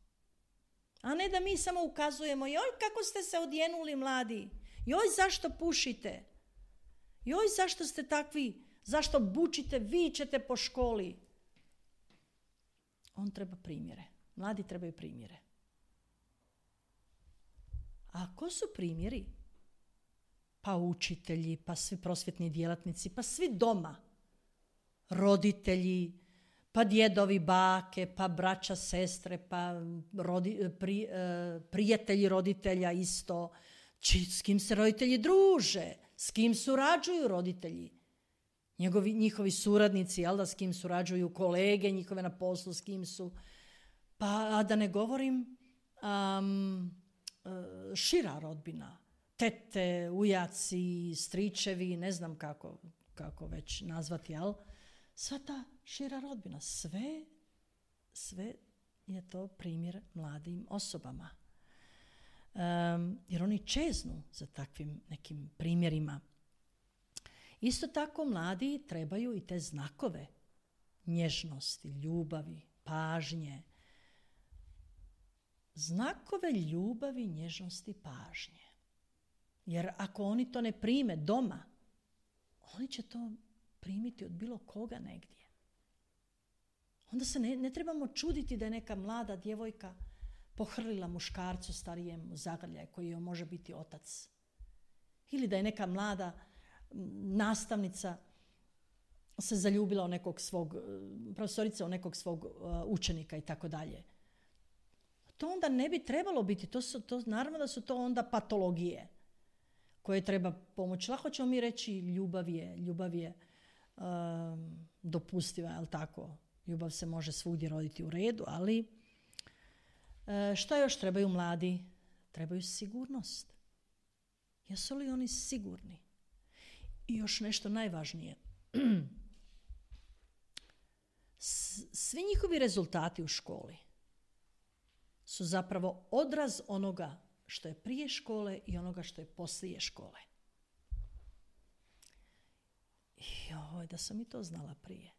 A ne da mi samo ukazujemo, joj kako ste se odjenuli mladi, joj zašto pušite, joj zašto ste takvi, zašto bučite, vičete po školi. On treba primjere, mladi trebaju primjere. A ko su primjeri? Pa učitelji, pa svi prosvjetni djelatnici, pa svi doma. Roditelji, pa djedovi, bake, pa braća, sestre, pa prijatelji roditelja isto. S kim se roditelji druže, s kim surađuju roditelji. Njihovi suradnici, jel da, s kim surađuju kolege njihove na poslu, s kim su. Pa da ne govorim šira rodbina. Tete, ujaci, stričevi, ne znam kako već nazvati, jel? Sva ta šira rodbina, sve je to primjer mladim osobama. Jer oni čeznu za takvim nekim primjerima. Isto tako mladi trebaju i te znakove nježnosti, ljubavi, pažnje. Znakove ljubavi, nježnosti, pažnje. Jer ako oni to ne prime doma, oni će to primiti od bilo koga negdje. Onda se ne trebamo čuditi da je neka mlada djevojka pohrlila muškarcu starijem u zagrljaj koji joj može biti otac. Ili da je neka mlada nastavnica se zaljubila u nekog svog, profesorica u nekog svog učenika i tako dalje. To onda ne bi trebalo biti. Naravno da su to onda patologije koje treba pomoći. Lako ćemo mi reći ljubav je dopustiva, jel tako? Ljubav se može svugdje roditi u redu, ali šta još trebaju mladi? Trebaju sigurnost. Jesu li oni sigurni? I još nešto najvažnije. Svi njihovi rezultati u školi su zapravo odraz onoga što je prije škole i onoga što je poslije škole. Joj, da sam i to znala prije.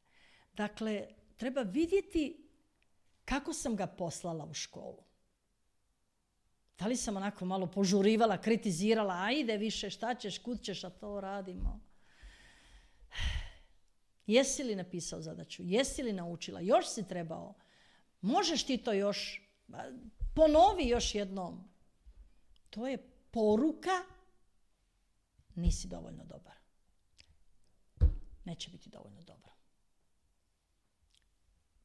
Dakle, treba vidjeti kako sam ga poslala u školu. Da li sam onako malo požurivala, kritizirala, ajde više, šta ćeš, kud ćeš, a to radimo. Jesi li napisao zadaću? Jesi li naučila? Još si trebao? Možeš ti to još? Ponovi još jednom. To je poruka, nisi dovoljno dobar. Neće biti dovoljno dobro.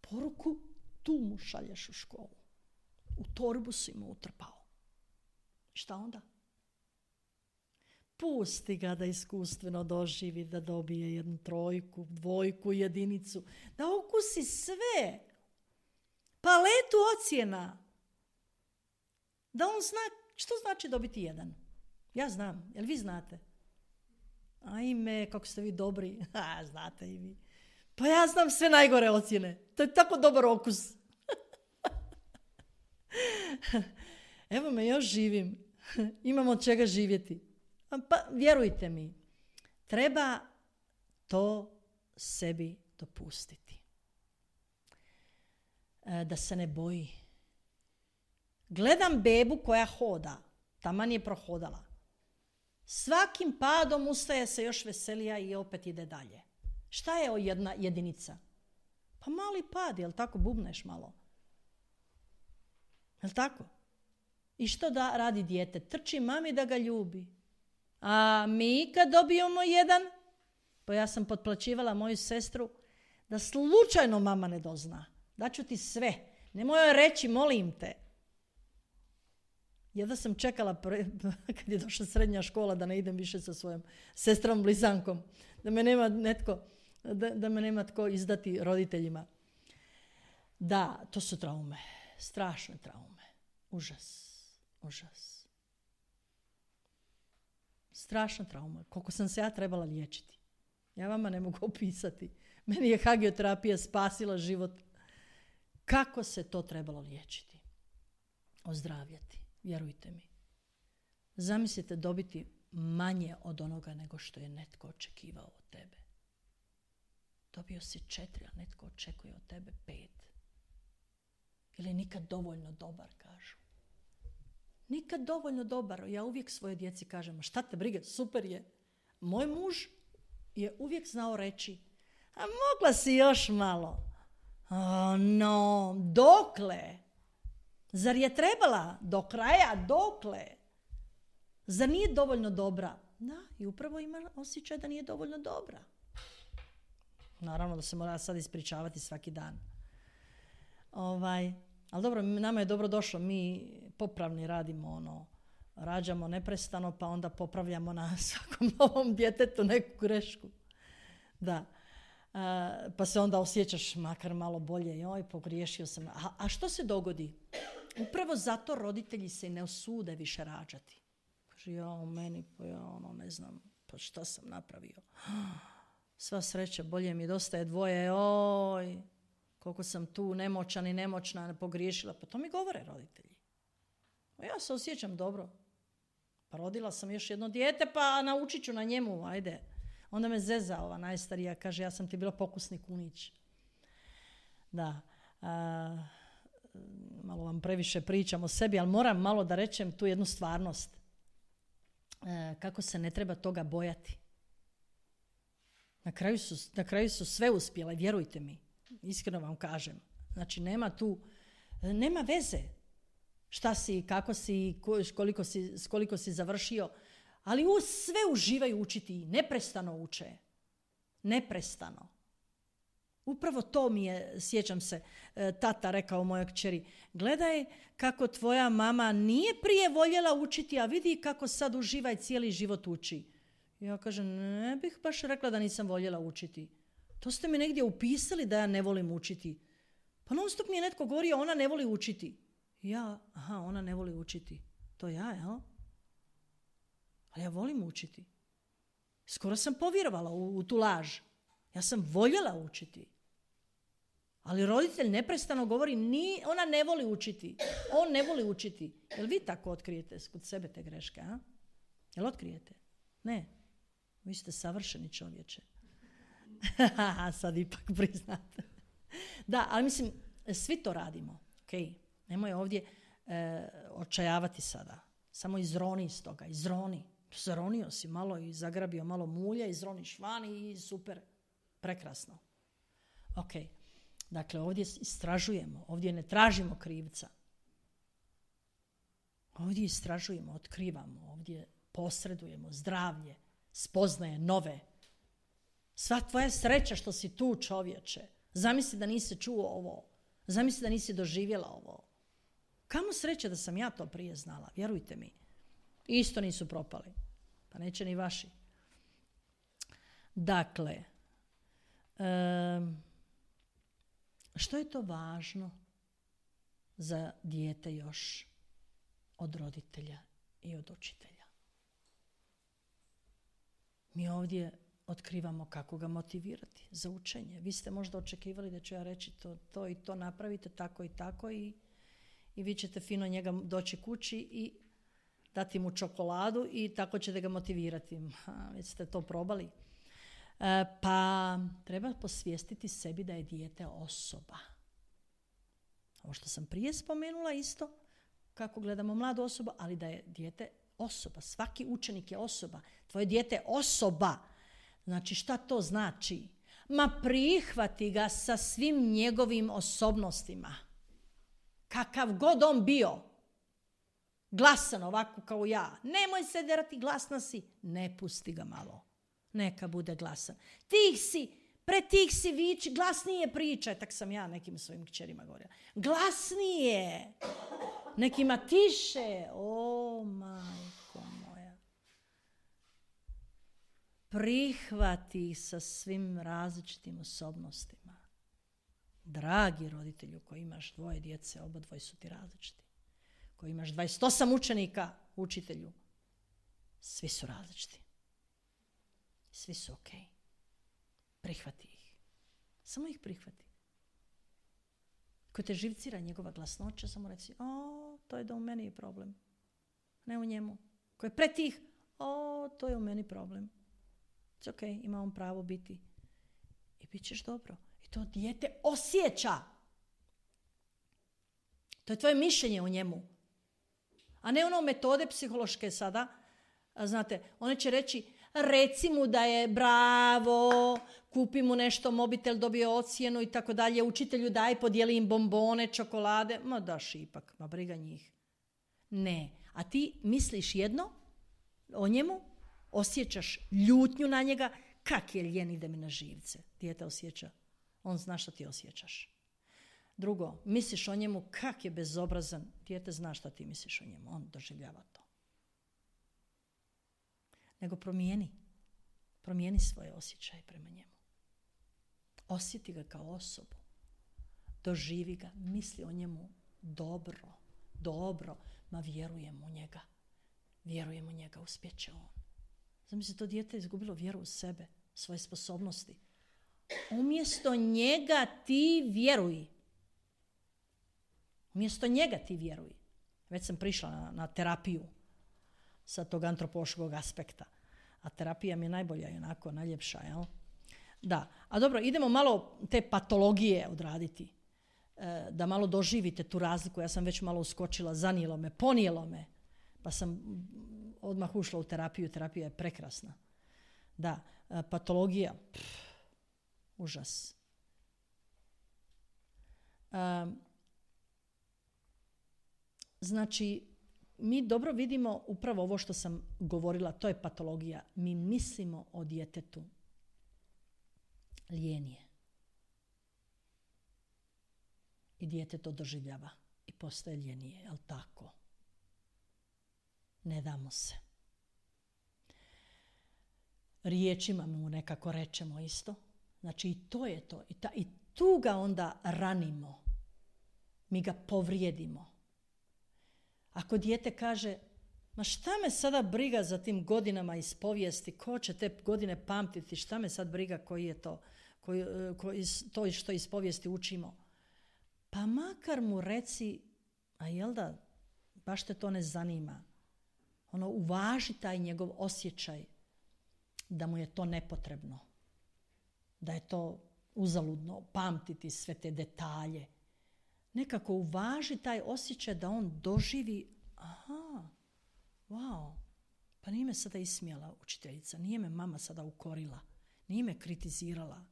Poruku tu mu šalješ u školu. U torbu si mu utrpao. Šta onda? Pusti ga da iskustveno doživi, da dobije 1 3, 2, 1, da okusi sve. Paletu ocjena. Da on zna što znači dobiti 1. Ja znam. Jel vi znate? Ajme, kako ste vi dobri. Znate i vi. Pa ja znam sve najgore ocjene. To je tako dobar okus. Evo me, još živim. Imam od čega živjeti. Pa vjerujte mi, treba to sebi dopustiti. Da se ne boji. Gledam bebu koja hoda. Taman je prohodala. Svakim padom ustaje se još veselija i opet ide dalje. Šta je jedna jedinica? Pa mali pad, jel tako, bubneš malo? Jel tako? I što da radi dijete? Trči mami da ga ljubi. A mi kad dobijemo jedan, pa ja sam potplaćivala moju sestru, da slučajno mama ne dozna. Daću ti sve. Nemoj joj reći, molim te. Jedva sam čekala kad je došla srednja škola da ne idem više sa svojom sestrom blizankom. Da me nema netko, da me nema tko izdati roditeljima. Da, to su traume. Strašne traume. Užas. Užas. Strašna trauma. Koliko sam se ja trebala liječiti. Ja vama ne mogu opisati. Meni je hagioterapija spasila život. Kako se to trebalo liječiti? Ozdravljati. Vjerujte mi. Zamislite dobiti manje od onoga nego što je netko očekivao od tebe. Dobio si 4, a netko očekuje od tebe 5. Ili nikad dovoljno dobar, kažu. Nikad dovoljno dobar. Ja uvijek svojoj djeci kažem, šta te brige, super je. Moj muž je uvijek znao reći, a mogla si još malo. No, dokle? Zar je trebala do kraja, dokle? Zar nije dovoljno dobra? Da, i upravo ima osjećaj da nije dovoljno dobra. Naravno da se mora sad ispričavati svaki dan. Ali dobro, nama je dobro došlo, mi popravni radimo, rađamo neprestano, pa onda popravljamo na svakom novom djetetu neku grešku. Da. Pa se onda osjećaš makar malo bolje, joj, pogriješio sam. A što se dogodi? Upravo zato roditelji se ne usude više rađati. Kaže, ja meni, pa ja ne znam, pa šta sam napravio. Sva sreća, bolje mi dosta je dvoje, oj, koliko sam tu nemoćan i nemoćna, pogriješila. Pa to mi govore roditelji. Ja se osjećam dobro. Pa rodila sam još jedno dijete, pa naučit ću na njemu, ajde. Onda me zeza ova najstarija, kaže, ja sam ti bila pokusni kunić. Da, malo vam previše pričam o sebi, ali moram malo da rečem tu jednu stvarnost. Kako se ne treba toga bojati. Na kraju su sve uspjele, vjerujte mi. Iskreno vam kažem. Znači, nema veze šta si, kako si, koliko si završio, ali sve uživaju učiti, neprestano uče. Neprestano. Upravo to mi je, sjećam se, tata rekao mojoj kćeri, gledaj kako tvoja mama nije prije voljela učiti, a vidi kako sad uživa i cijeli život uči. Ja kažem, ne bih baš rekla da nisam voljela učiti. To ste mi negdje upisali da ja ne volim učiti. Pa non stop mi je netko govorio, ona ne voli učiti. Ja, ona ne voli učiti. To ja, jel? Ali ja volim učiti. Skoro sam povjerovala u tu laž. Ja sam voljela učiti. Ali roditelj neprestano govori, ona ne voli učiti. On ne voli učiti. Jel vi tako otkrijete kod sebe te greške, a? Jel otkrijete? Ne. Vi ste savršeni čovječe. Sad ipak priznate. Da, ali mislim, svi to radimo. Okay. Nemoj ovdje očajavati sada. Samo izroni iz toga. Izroni. Zaronio si malo i zagrabio malo mulja, izroniš van i super. Prekrasno. Ok. Dakle, ovdje istražujemo. Ovdje ne tražimo krivca. Ovdje istražujemo, otkrivamo. Ovdje posredujemo zdravlje, spoznaje nove. Sva tvoja sreća što si tu, čovječe. Zamisli da nisi čuo ovo. Zamisli da nisi doživjela ovo. Kamo sreće da sam ja to prije znala, vjerujte mi. Isto nisu propali. Pa neće ni vaši. Dakle, što je to važno za dijete još od roditelja i od učitelja? Mi ovdje otkrivamo kako ga motivirati za učenje. Vi ste možda očekivali da ću ja reći to i to napravite, tako i tako i vi ćete fino njega doći kući i dati mu čokoladu i tako ćete ga motivirati. Već ste to probali. Pa treba posvijestiti sebi da je dijete osoba. Ovo što sam prije spomenula isto, kako gledamo mladu osobu, ali da je dijete osoba. Svaki učenik je osoba. Tvoje dijete je osoba. Znači, šta to znači? Ma prihvati ga sa svim njegovim osobnostima. Kakav god on bio. Glasan ovako kao ja. Nemoj se derati, glasna si. Ne pusti ga malo. Neka bude glasan. Pred tih si viči, glasnije pričaj. Tak sam ja nekim svojim kćerima govorila. Glasnije. Nekima tiše. O, majko moja. Prihvati ih sa svim različitim osobnostima. Dragi roditelju koji imaš 2 djece, obadvoje su ti različiti. Koji imaš 28 učenika, učitelju, svi su različiti. Svi su ok. Prihvati ih. Samo ih prihvati. Ko te živcira njegova glasnoća, samo reci, to je da u meni je problem. Ne u njemu. Ko je pretih, to je u meni problem. It's ok, ima on pravo biti. I bit ćeš dobro. I to dijete osjeća. To je tvoje mišljenje o njemu. A ne ono metode psihološke sada. Znate, one će reći, reci mu da je bravo, kupi mu nešto, mobitel, dobio ocjenu i tako dalje, učitelju daj, podijeli im bombone, čokolade. Ma daš ipak, ma briga njih. Ne, a ti misliš jedno o njemu, osjećaš ljutnju na njega, kak je ljen, ide mi na živce. Dijete osjeća, on zna što ti osjećaš. Drugo, misliš o njemu, kak je bezobrazan, dijete zna što ti misliš o njemu, on doživljava to. Nego promijeni svoje osjećaje prema njemu. Osjeti ga kao osobu. Doživi ga, misli o njemu dobro, ma vjerujem u njega, uspjeće on. Zamisli, to dijete je izgubilo vjeru u sebe, svoje sposobnosti. Umjesto njega ti vjeruj. Već sam prišla na terapiju sa tog antropološkog aspekta. A terapija mi je najbolja i onako najljepša, jel? Da. A dobro, idemo malo te patologije odraditi. Da malo doživite tu razliku. Ja sam već malo uskočila, zanijelo me, ponijelo me. Pa sam odmah ušla u terapiju. Terapija je prekrasna. Da, patologija. Užas. Znači, mi dobro vidimo upravo ovo što sam govorila, to je patologija. Mi mislimo o djetetu. Lijen je. I dijete to doživljava. I postaje ljenije, jel tako? Ne damo se. Riječima mu nekako rečemo isto. Znači i to je to. I tu ga onda ranimo. Mi ga povrijedimo. Ako dijete kaže, ma šta me sada briga za tim godinama iz povijesti, ko će te godine pamtiti, šta me sad briga koji je to, to što iz povijesti učimo. Pa makar mu reci, a jel da, baš te to ne zanima. Uvaži taj njegov osjećaj da mu je to nepotrebno. Da je to uzaludno pamtiti sve te detalje. Nekako uvaži taj osjećaj da on doživi, pa nije me sada ismijala učiteljica, nije me mama sada ukorila, nije me kritizirala.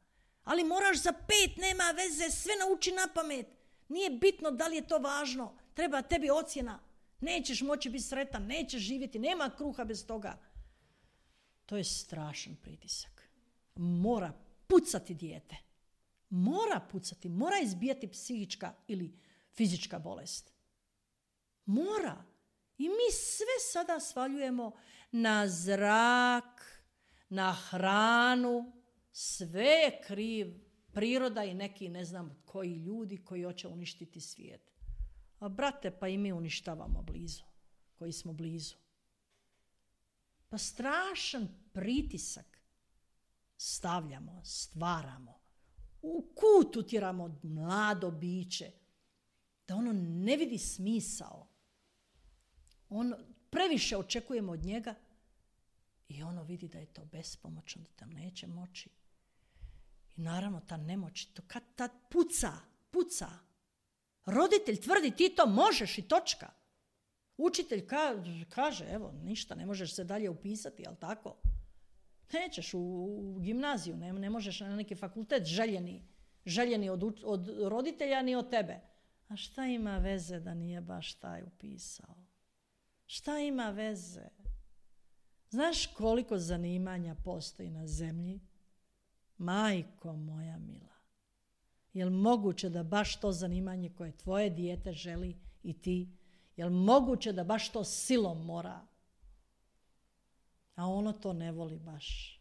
Ali moraš za 5, nema veze, sve nauči na pamet. Nije bitno da li je to važno, treba tebi ocjena. Nećeš moći biti sretan, nećeš živjeti, nema kruha bez toga. To je strašan pritisak. Mora pucati dijete. Mora izbijati psihička ili fizička bolest. Mora. I mi sve sada svaljujemo na zrak, na hranu, sve je kriv priroda i neki ne znam koji ljudi koji hoće uništiti svijet. A brate, pa i mi uništavamo blizu, koji smo blizu. Pa strašan pritisak. stavljamo, stvaramo. U kut utjeramo mlado biće. Da ono ne vidi smisao. Previše očekujemo od njega i ono vidi da je to bespomoćno, da tam neće moći. I naravno ta nemoć, to kad tad puca. Roditelj tvrdi ti to možeš i točka. Učitelj kaže, evo, ništa, ne možeš se dalje upisati, jel tako? Nećeš u gimnaziju, ne možeš na neki fakultet željeni od roditelja ni od tebe. A šta ima veze da nije baš taj upisao? Šta ima veze? Znaš koliko zanimanja postoji na zemlji? Majko moja mila. Jel moguće da baš to zanimanje koje tvoje dijete želi i ti, jel moguće da baš to silom mora? A ono to ne voli baš.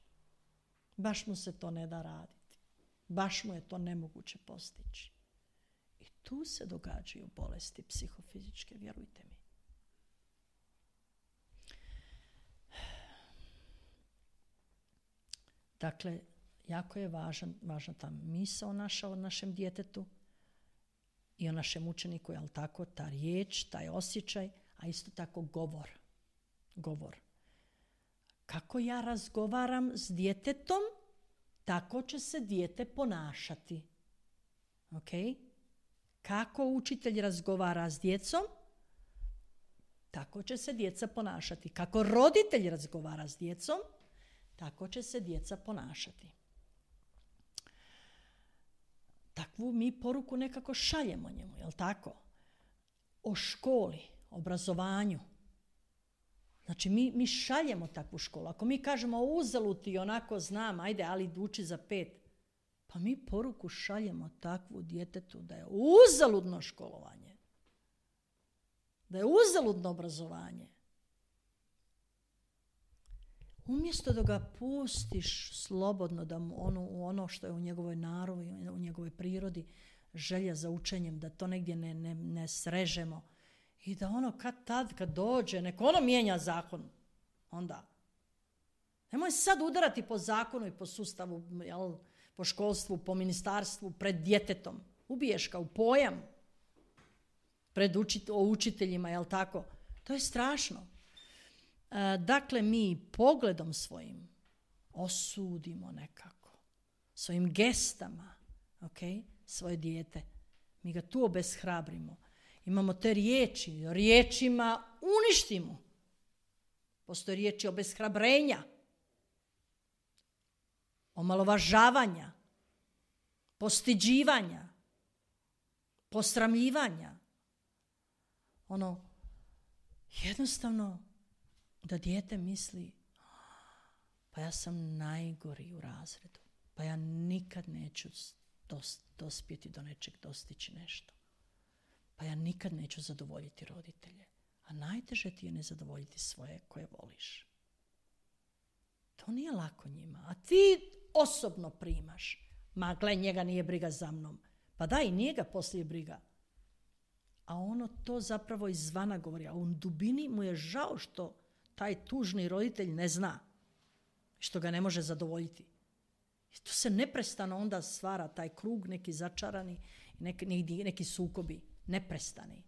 Baš mu se to ne da raditi. Baš mu je to nemoguće postići. I tu se događaju bolesti psihofizičke, vjerujte mi. Dakle, jako je važna ta misao naša o našem djetetu i o našem učeniku, jel tako, ta riječ, taj osjećaj, a isto tako govor. Kako ja razgovaram s djetetom, tako će se dijete ponašati. Ok? Kako učitelj razgovara s djecom, tako će se djeca ponašati. Kako roditelj razgovara s djecom, tako će se djeca ponašati. Takvu mi poruku nekako šaljemo njemu, jel tako? O školi, obrazovanju. Znači mi šaljemo takvu školu. Ako mi kažemo uzalud ti onako znam, ajde, ali uči za 5. Pa mi poruku šaljemo takvu djetetu da je uzaludno školovanje. Da je uzaludno obrazovanje. Umjesto da ga pustiš slobodno da mu ono što je u njegovoj naravi, u njegovoj prirodi, želja za učenjem, da to negdje ne srežemo i da ono kad dođe, nek ono mijenja zakon onda. Nemoj sad udarati po zakonu i po sustavu, jel, po školstvu, po ministarstvu, pred djetetom. Ubiješ ga u pojam pred učiteljima, jel tako? To je strašno. Dakle, mi pogledom svojim osudimo nekako, svojim gestama, okay, svoje dijete. Mi ga tu obeshrabrimo. Imamo te riječima uništimo. Postoje riječi obeshrabrenja, omalovažavanja, postiđivanja, posramljivanja. Jednostavno da dijete misli, pa ja sam najgori u razredu, pa ja nikad neću dospjeti do nečeg, dostići nešto. Pa ja nikad neću zadovoljiti roditelje. A najteže ti je ne zadovoljiti svoje koje voliš. To nije lako njima. A ti osobno primaš. Ma gle, njega nije briga za mnom. Pa da, i nije ga poslije briga. A ono to zapravo izvana govori. A u dubini mu je žao što taj tužni roditelj ne zna. Što ga ne može zadovoljiti. I tu se neprestano onda stvara taj krug, neki začarani, neki sukobi. Neprestani.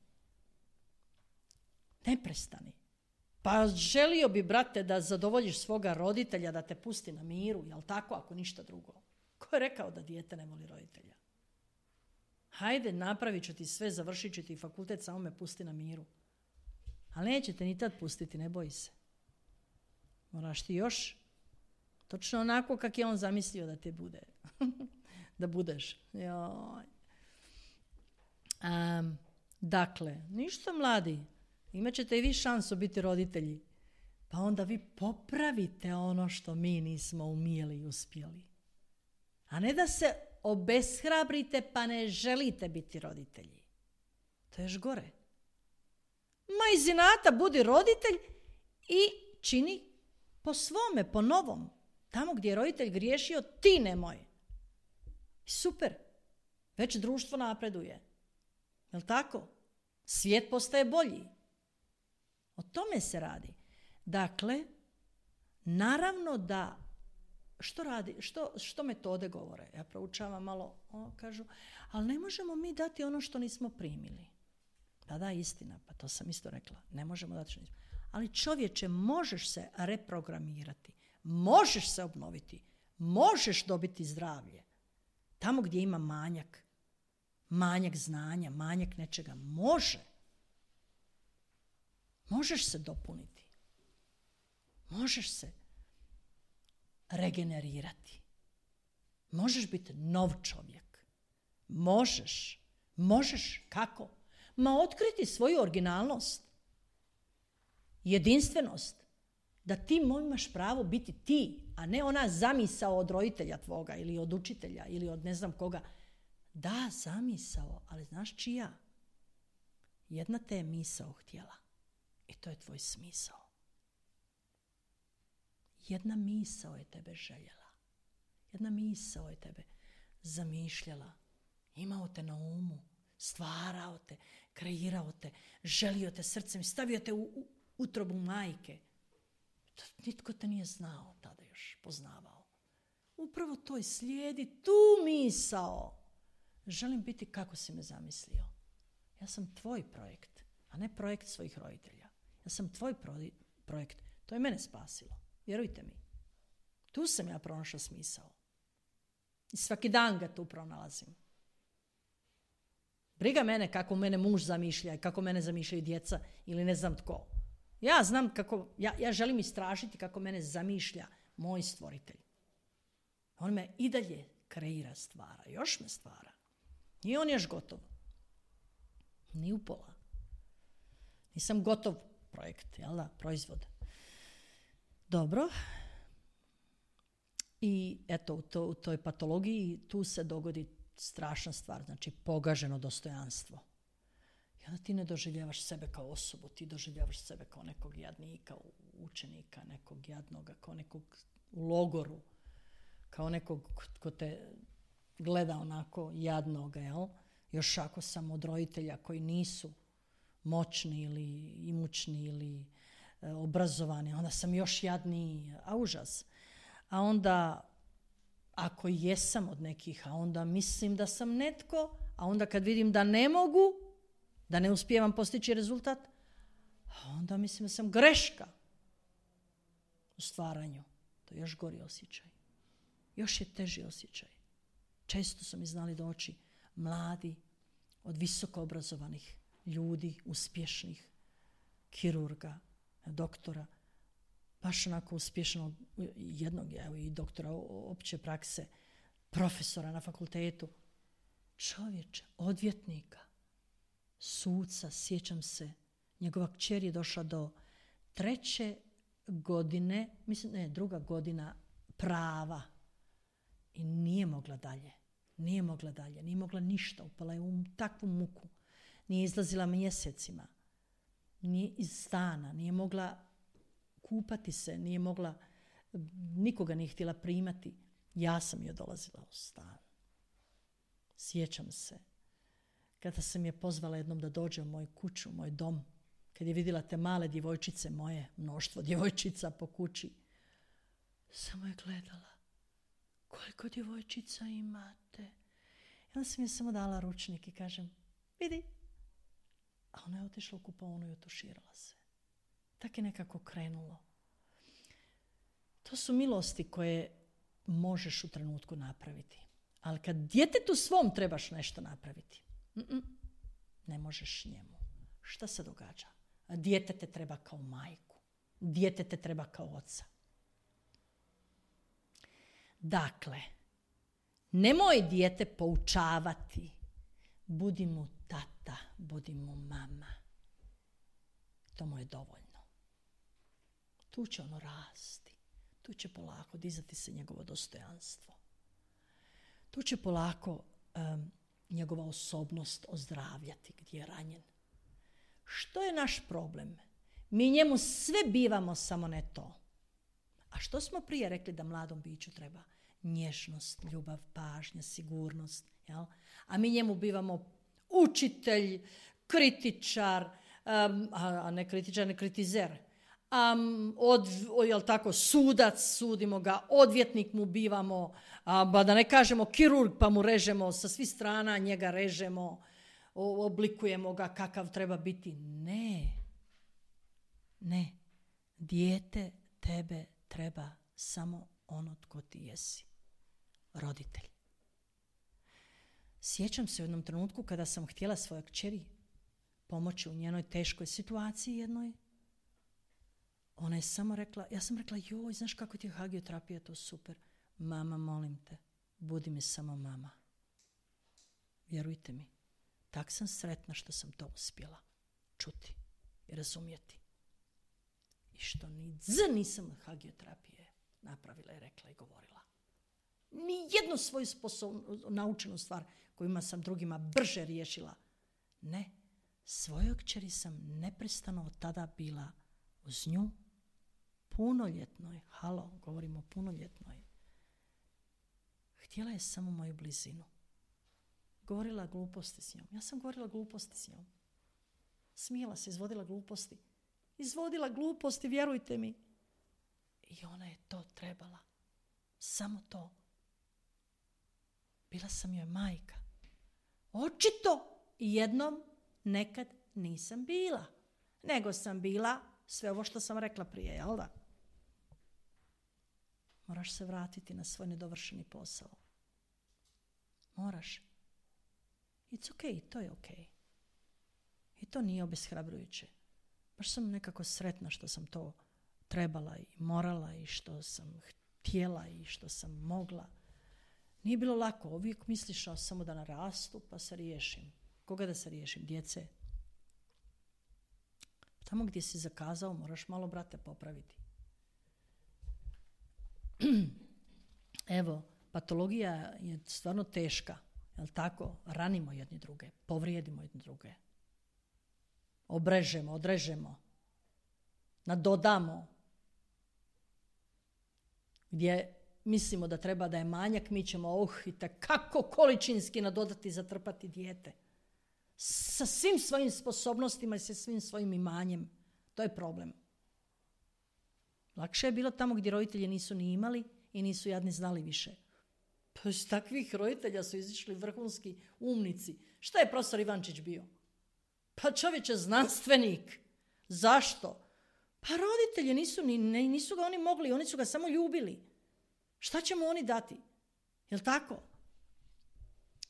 Pa želio bi, brate, da zadovoljiš svoga roditelja, da te pusti na miru, jel tako, ako ništa drugo? Ko je rekao da dijete ne voli roditelja? Hajde, napravit ću ti sve, završit ću ti fakultet, samo me pusti na miru. Ali nećete ni tad pustiti, ne boj se. Moraš ti još točno onako kak je on zamislio da te bude. Da budeš. Joj. Dakle, ništa mladi, imat ćete i vi šansu biti roditelji. Pa onda vi popravite ono što mi nismo umjeli i uspjeli. A ne da se obeshrabrite pa ne želite biti roditelji. To je još gore. Ma iz inata budi roditelj i čini po svome, po novom. Tamo gdje je roditelj griješio, ti nemoj. Super. Već društvo napreduje. Jel' tako? Svijet postaje bolji. O tome se radi. Dakle, naravno da što radi, što metode govore? Ja proučavam malo, kažu, ali ne možemo mi dati ono što nismo primili. Da, istina, pa to sam isto rekla. Ne možemo dati što nismo. Ali čovječe, možeš se reprogramirati, možeš se obnoviti, možeš dobiti zdravlje. Tamo gdje ima manjak znanja, manjak nečega, možeš se dopuniti. Možeš se regenerirati. Možeš biti nov čovjek. Možeš. Kako? Otkriti svoju originalnost. Jedinstvenost. Da ti imaš pravo biti ti, a ne ona zamisao od roditelja tvoga ili od učitelja ili od ne znam koga. Da, zamisao, ali znaš čija? Jedna te je misao htjela. I to je tvoj smisao. Jedna misao je tebe željela. Jedna misao je tebe zamišljala. Imao te na umu. Stvarao te. Kreirao te. Želio te srcem. Stavio te u utrobu majke. Nitko te nije znao tada još. Poznavao. Upravo to je, slijedi tu misao. Želim biti kako si me zamislio. Ja sam tvoj projekt, a ne projekt svojih roditelja. Ja sam tvoj projekt. To je mene spasilo. Vjerujte mi. Tu sam ja pronašao smisao. I svaki dan ga tu pronalazim. Briga mene kako mene muž zamišlja i kako mene zamišljaju djeca ili ne znam tko. Ja znam kako, ja želim istražiti kako mene zamišlja moj stvoritelj. On me i dalje kreira, stvara. Još me stvara. Nije on još gotov. Ni upola. Nisam gotov projekt, jel da? Proizvod. Dobro. I eto, u toj patologiji tu se dogodi strašna stvar, znači pogaženo dostojanstvo. I onda ti ne doživljavaš sebe kao osobu, ti doživljavaš sebe kao nekog jadnika, učenika, nekog jadnoga, kao nekog u logoru, kao nekog ko te gleda onako jadnoga, jel? Još ako sam od roditelja koji nisu moćni ili imućni ili obrazovani, onda sam još jadniji, a užas. A onda, ako jesam od nekih, a onda mislim da sam netko, a onda kad vidim da ne mogu, da ne uspijevam postići rezultat, a onda mislim da sam greška u stvaranju. To je još gori osjećaj. Još je teži osjećaj. Često su mi znali doći mladi, od visoko obrazovanih ljudi, uspješnih, kirurga, doktora, baš onako uspješno, jednog i doktora opće prakse, profesora na fakultetu, čovječe, odvjetnika, suca, sjećam se, njegova kćer je došla do 3. godine, druga godina prava i nije mogla dalje, nije mogla ništa, upala je u takvu muku, nije izlazila mjesecima, nije iz stana, nije mogla kupati se, nije mogla, nikoga nije htjela primati. Ja sam joj dolazila u stan. Sjećam se, kada sam je pozvala jednom da dođe u moju kuću, u moj dom, kad je vidjela te male djevojčice moje, mnoštvo djevojčica po kući, samo je gledala. Koliko djevojčica imate? I onda sam je samo dala ručnik i kažem, vidi. A ona je otišla u kupaonu i otuširala se. Tako je nekako krenulo. To su milosti koje možeš u trenutku napraviti. Ali kad djetetu svom trebaš nešto napraviti, ne možeš njemu. Šta se događa? Dijete te treba kao majku. Dijete te treba kao oca. Dakle, nemoj dijete poučavati. Budi mu tata, budi mu mama. To mu je dovoljno. Tu će ono rasti. Tu će polako dizati se njegovo dostojanstvo. Tu će polako njegova osobnost ozdravljati gdje je ranjen. Što je naš problem? Mi njemu sve bivamo, samo ne to. A što smo prije rekli da mladom biću treba? Nježnost, ljubav, pažnja, sigurnost. Jel? A mi njemu bivamo učitelj, kritičar, a ne kritičar, ne kritizer. jel tako, sudac, sudimo ga, odvjetnik mu bivamo, ba da ne kažemo kirurg pa mu režemo sa svih strana, njega režemo, oblikujemo ga kakav treba biti. Ne. Dijete tebe treba samo ono tko ti jesi. Roditelj. Sjećam se u jednom trenutku kada sam htjela svojoj kćeri pomoći u njenoj teškoj situaciji jednoj. Ona je samo rekla, ja sam rekla, joj, znaš kako ti je hagioterapija, to super. Mama, molim te, budi mi samo mama. Vjerujte mi, tak sam sretna što sam to uspjela čuti i razumjeti. I što nisam od hagioterapije napravila i rekla i govorila. Ni jednu svoju naučenu stvar kojima sam drugima brže riješila. Ne, svojoj kćeri sam neprestano od tada bila uz nju, punoljetnoj, govorimo o punoljetnoj. Htjela je samo moju blizinu. Govorila gluposti s njom. Ja sam govorila gluposti s njom. Smijela se, izvodila gluposti. Izvodila gluposti, vjerujte mi. I ona je to trebala. Samo to. Bila sam joj majka. Očito jednom nekad nisam bila. Nego sam bila sve ovo što sam rekla prije, jel da? Moraš se vratiti na svoj nedovršeni posao. Moraš. It's okay, to je okay. I to nije obeshrabrujuće. Baš sam nekako sretna što sam to trebala i morala i što sam htjela i što sam mogla. Nije bilo lako. Uvijek misliš samo da narastu pa se riješim. Koga da se riješim? Djece. Tamo gdje si zakazao moraš malo, brate, popraviti. Evo, patologija je stvarno teška. Jel tako? Ranimo jedni druge, povrijedimo jedni druge. Obrežemo, odrežemo, nadodamo. Gdje mislimo da treba da je manjak, mi ćemo i kako količinski nadodati i zatrpati dijete. Sa svim svojim sposobnostima i sa svim svojim imanjem. To je problem. Lakše je bilo tamo gdje roditelji nisu ni imali i nisu jadni znali više. Pa iz takvih roditelja su izišli vrhunski umnici. Šta je profesor Ivančić bio? Pa čovječe, znanstvenik. Zašto? Pa roditelji nisu ga oni mogli, oni su ga samo ljubili. Šta će mu oni dati? Jel' tako?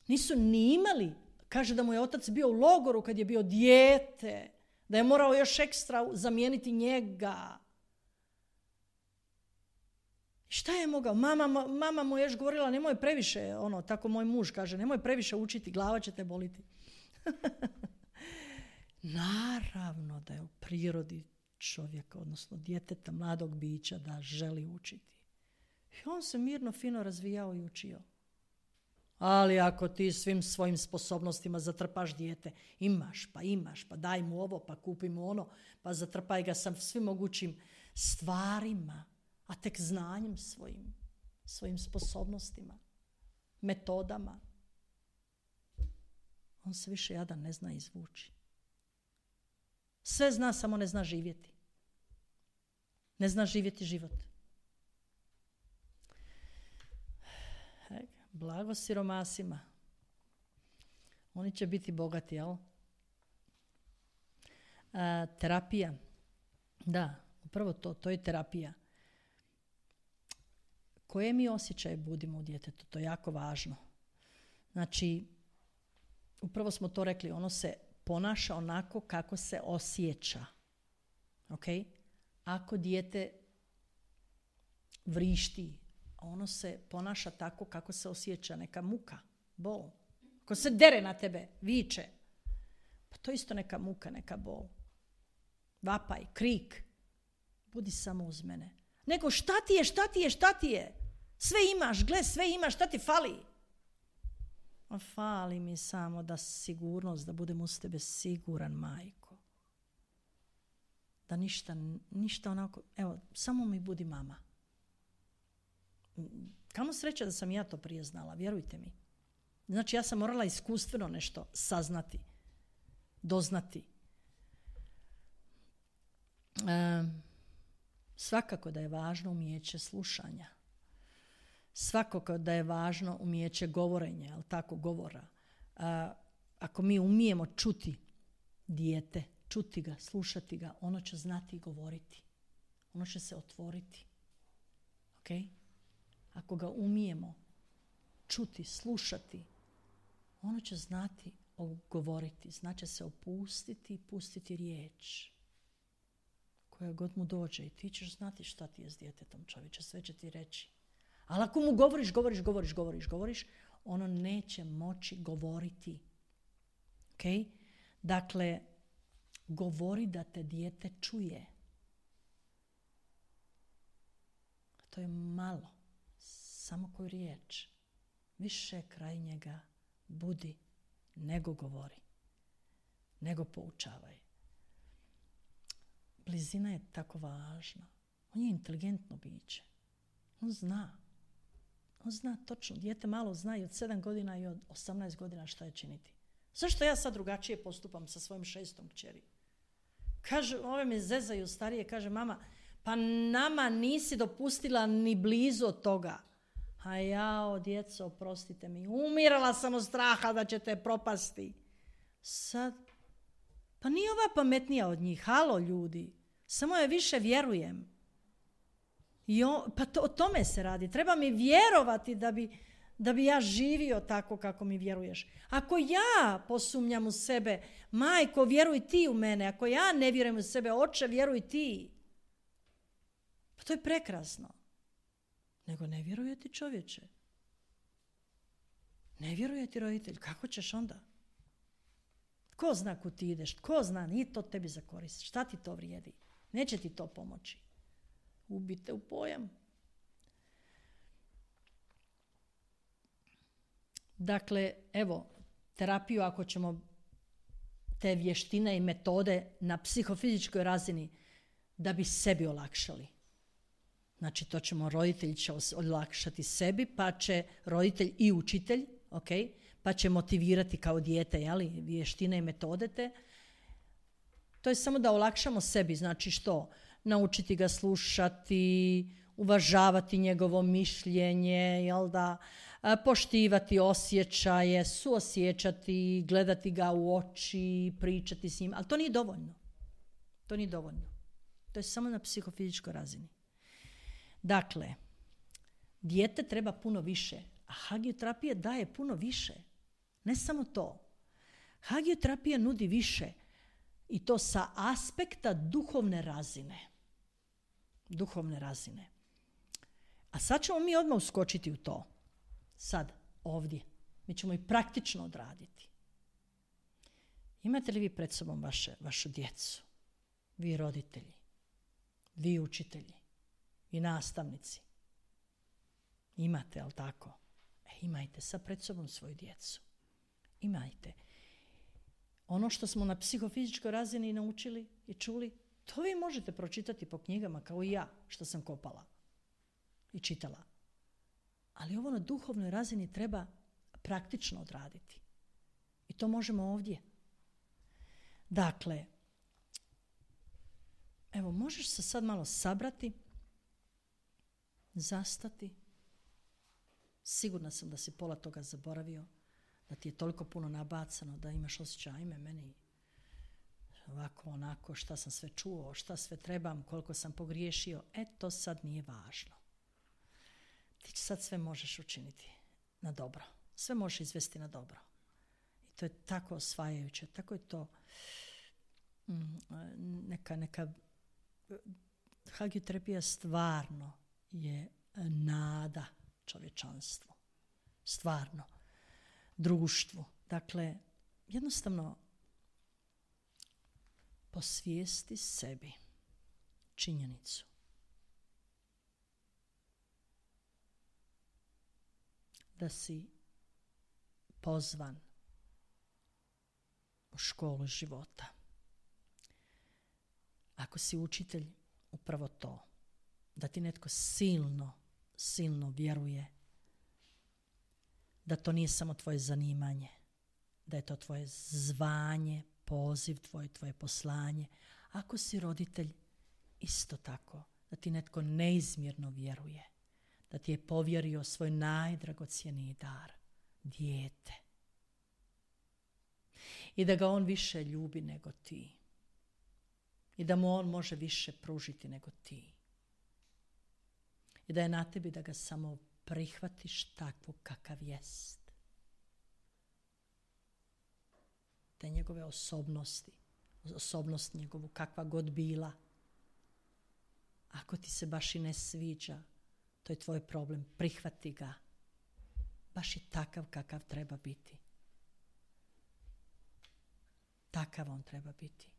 Nisu ni imali. Kaže da mu je otac bio u logoru kad je bio dijete, da je morao još ekstra zamijeniti njega. Šta je mogao? Mama mu je još govorila, nemoj previše, tako moj muž kaže, nemoj previše učiti, glava će te boliti. Naravno da je u prirodi čovjeka, odnosno djeteta, mladog bića, da želi učiti. I on se mirno, fino razvijao i učio. Ali ako ti svim svojim sposobnostima zatrpaš dijete, imaš, pa daj mu ovo, pa kupi mu ono, pa zatrpaj ga sa svim mogućim stvarima, a tek znanjem svojim sposobnostima, metodama. On se više jadan ne zna izvući. Sve zna, samo ne zna živjeti. Ne zna živjeti život. Blago siromasima. Oni će biti bogati, jel? Terapija. Da, upravo to je terapija. Koje mi osjećaje budimo u djetetu? To je jako važno. Znači, upravo smo to rekli, ono se ponaša onako kako se osjeća. Ok? Ako dijete vrišti, ono se ponaša tako kako se osjeća, neka muka, bol. Ako se dere na tebe, viče, pa to je isto neka muka, neka bol. Vapaj, krik, budi samo uz mene. Nego šta ti je? Sve imaš, gle, sve imaš, šta ti fali? Fali mi samo da sigurnost, da budem uz tebe siguran, majko. Da ništa onako, evo, samo mi budi mama. Kamo sreća da sam ja to prije znala, vjerujte mi. Znači ja sam morala iskustveno nešto saznati, doznati. Svakako da je važno umijeće slušanja. Svakako da je važno umijeće govorenja, ali tako govora. Ako mi umijemo čuti dijete, čuti ga, slušati ga, ono će znati govoriti. Ono će se otvoriti. Okay? Ako ga umijemo čuti, slušati, ono će znati govoriti. Znači se opustiti i pustiti riječ koja god mu dođe. I ti ćeš znati šta ti je s djetetom, čovječe. Sve će ti reći. Ali ako mu govoriš, ono neće moći govoriti. Okay? Dakle, govori da te dijete čuje. To je malo. Samo koju riječ. Više kraj njega budi nego govori. Nego poučavaj. Blizina je tako važna. On je inteligentno biće. On zna točno. Dijete malo zna i od 7 godina i od 18 godina šta je činiti. Zašto ja sad drugačije postupam sa svojim 6. kćeri? Kaže, ove me zezaju starije, kaže mama, pa nama nisi dopustila ni blizu od toga. A jao, djeco, oprostite mi, umirala sam od straha da ćete propasti. Sad, pa nije ova pametnija od njih, halo ljudi, samo je više vjerujem. Pa o tome se radi, treba mi vjerovati da bi ja živio tako kako mi vjeruješ. Ako ja posumnjam u sebe, majko, vjeruj ti u mene, ako ja ne vjerujem u sebe, oče, vjeruj ti. Pa to je prekrasno. Nego ne vjeruje ti čovječe. Ne vjeruje ti roditelj. Kako ćeš onda? Tko zna kud ti ideš? Tko zna? Nije to tebi za korist. Šta ti to vrijedi? Neće ti to pomoći. Ubite u pojam. Dakle, evo, terapiju ako ćemo te vještine i metode na psihofizičkoj razini da bi sebi olakšali. Znači, to ćemo, roditelj će olakšati sebi, pa će roditelj i učitelj, okay, pa će motivirati kao dijete, jeli, vještine i metode te. To je samo da olakšamo sebi, znači što? Naučiti ga slušati, uvažavati njegovo mišljenje, jel da, poštivati osjećaje, suosjećati, gledati ga u oči, pričati s njim, ali to nije dovoljno. To nije dovoljno. To je samo na psihofizičkoj razini. Dakle, dijete treba puno više, a hagioterapija daje puno više. Ne samo to. Hagioterapija nudi više i to sa aspekta duhovne razine. Duhovne razine. A sad ćemo mi odmah uskočiti u to. Sad, ovdje. Mi ćemo i praktično odraditi. Imate li vi pred sobom vašu djecu? Vi roditelji, vi učitelji i nastavnici. Imate, ali tako? Imajte sad pred sobom svoju djecu. Imajte. Ono što smo na psihofizičkoj razini naučili i čuli, to vi možete pročitati po knjigama kao i ja, što sam kopala i čitala. Ali ovo na duhovnoj razini treba praktično odraditi. I to možemo ovdje. Dakle, evo, možeš se sad malo sabrati, zastati. Sigurna sam da si pola toga zaboravio, da ti je toliko puno nabacano, da imaš osjećaj, ajme meni ovako, onako, šta sam sve čuo, šta sve trebam, koliko sam pogriješio. To sad nije važno. Ti sad sve možeš učiniti na dobro. Sve možeš izvesti na dobro. I to je tako osvajajuće, tako je to neka hagioterapija stvarno je nada čovječanstvu. Stvarno. Društvu. Dakle, jednostavno posvijesti sebi činjenicu da si pozvan u školu života. Ako si učitelj, upravo to, da ti netko silno vjeruje da to nije samo tvoje zanimanje, da je to tvoje zvanje, poziv, tvoje poslanje. Ako si roditelj, isto tako, da ti netko neizmjerno vjeruje, da ti je povjerio svoj najdragocjeniji dar, dijete. I da ga on više ljubi nego ti. I da mu on može više pružiti nego ti. I da je na tebi da ga samo prihvatiš takvog kakav jest. Te njegove osobnost njegovu kakva god bila. Ako ti se baš i ne sviđa, to je tvoj problem. Prihvati ga. Baš je takav kakav treba biti. Takav on treba biti.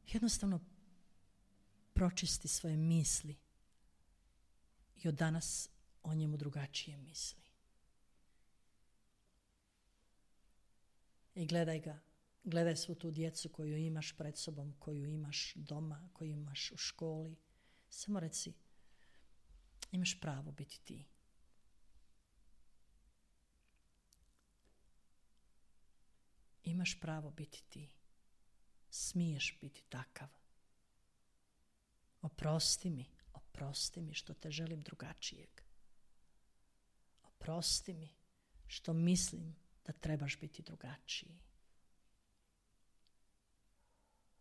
Jednostavno pročisti svoje misli i od danas o njemu drugačije misli. I gledaj ga, gledaj svu tu djecu koju imaš pred sobom, koju imaš doma, koju imaš u školi. Samo reci, imaš pravo biti ti. Imaš pravo biti ti. Smiješ biti takav. Oprosti mi što te želim drugačijeg. Oprosti mi što mislim da trebaš biti drugačiji.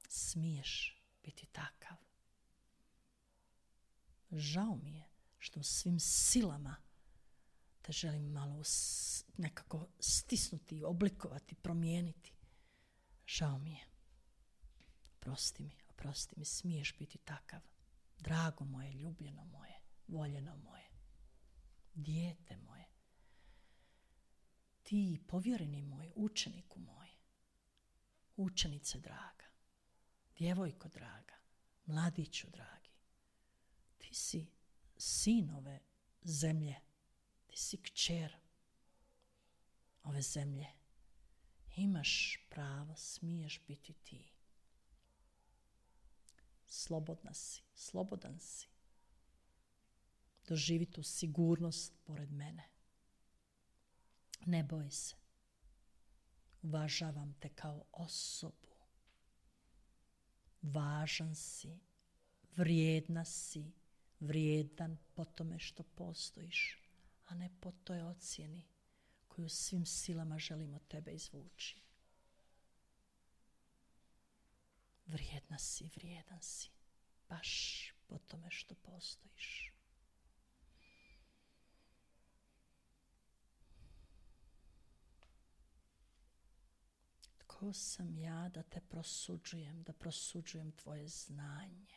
Smiješ biti takav. Žao mi je što svim silama te želim malo nekako stisnuti, oblikovati, promijeniti. Žao mi je. Oprosti mi, smiješ biti takav. Drago moje, ljubljeno moje, voljeno moje, dijete moje. Ti, povjereni moj, učeniku moj, učenice draga, djevojko draga, mladiću dragi, ti si sin ove zemlje, ti si kćer ove zemlje. Imaš pravo, smiješ biti ti. Slobodan si. Doživi tu sigurnost pored mene. Ne boj se. Uvažavam te kao osobu. Važan si, vrijedna si, vrijedan po tome što postojiš, a ne po toj ocjeni koju svim silama želim od tebe izvući. Vrijedan si, baš po tome što postojiš. Tko sam ja da te prosuđujem, da prosuđujem tvoje znanje?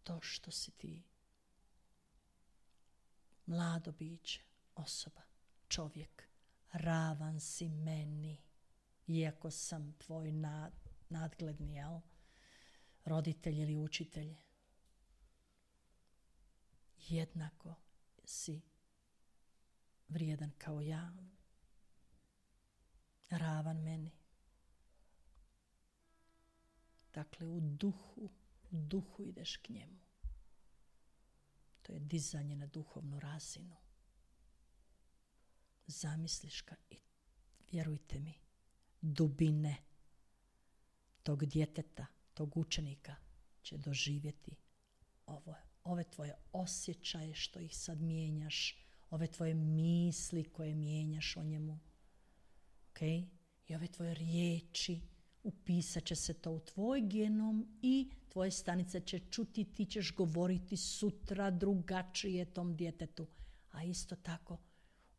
To što si ti mlado biće, osoba, čovjek, ravan si meni, iako sam tvoj nadgledni, roditelj ili učitelj. Jednako si vrijedan kao ja, ravan meni. Dakle, u duhu ideš k njemu. To je dizanje na duhovnu razinu. Zamisliš ga i vjerujte mi, dubine tog djeteta, tog učenika će doživjeti ove tvoje osjećaje što ih sad mijenjaš, ove tvoje misli koje mijenjaš o njemu. Okay? I ove tvoje riječi, upisat će se to u tvoj genom i tvoje stanice će čuti, ti ćeš govoriti sutra drugačije tom djetetu. A isto tako,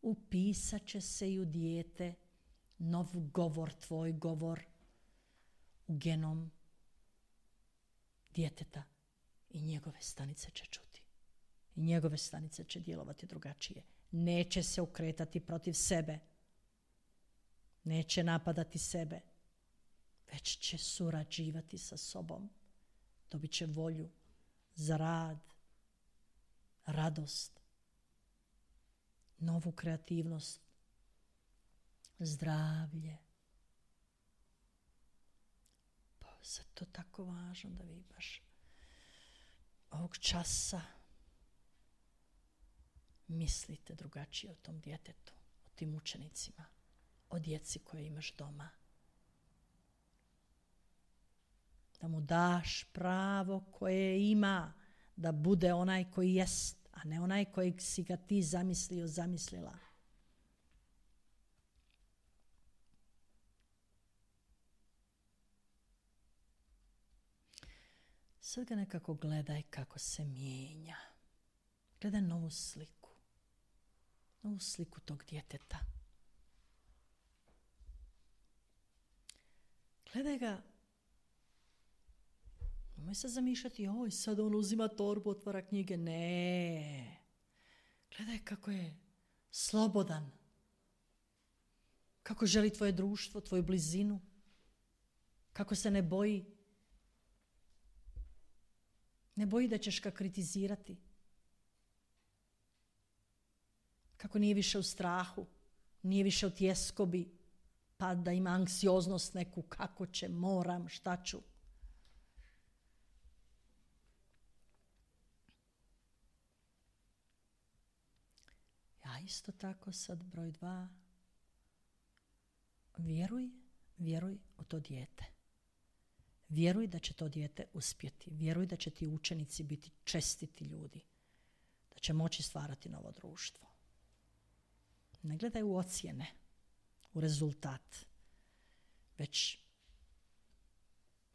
upisat će se i u dijete nov govor, tvoj govor u genom djeteta i njegove stanice će čuti. I njegove stanice će djelovati drugačije. Neće se okretati protiv sebe. Neće napadati sebe. Već će surađivati sa sobom. Dobit će volju za rad, radost, novu kreativnost, zdravlje. Pa zato je tako važno da vi baš ovog časa mislite drugačije o tom djetetu, o tim učenicima, o djeci koje imaš doma. Da mu daš pravo koje ima, da bude onaj koji jest, a ne onaj kojeg si ga ti zamislio, zamislila. Sad ga nekako gledaj kako se mijenja. Gledaj novu sliku tog djeteta. Gledaj ga. Nemoj se zamišljati, oj, sad on uzima torbu, otvara knjige. Ne. Gledaj kako je slobodan. Kako želi tvoje društvo, tvoju blizinu. Kako se ne boji. Ne boji da ćeš ga kritizirati. Kako nije više u strahu, nije više u tjeskobi, pa da ima anksioznost neku, kako će, moram, šta ću. Ja isto tako sad broj 2. Vjeruj u to dijete. Vjeruj da će to dijete uspjeti. Vjeruj da će ti učenici biti čestiti ljudi. Da će moći stvarati novo društvo. Ne gledaj u ocjene, u rezultat, već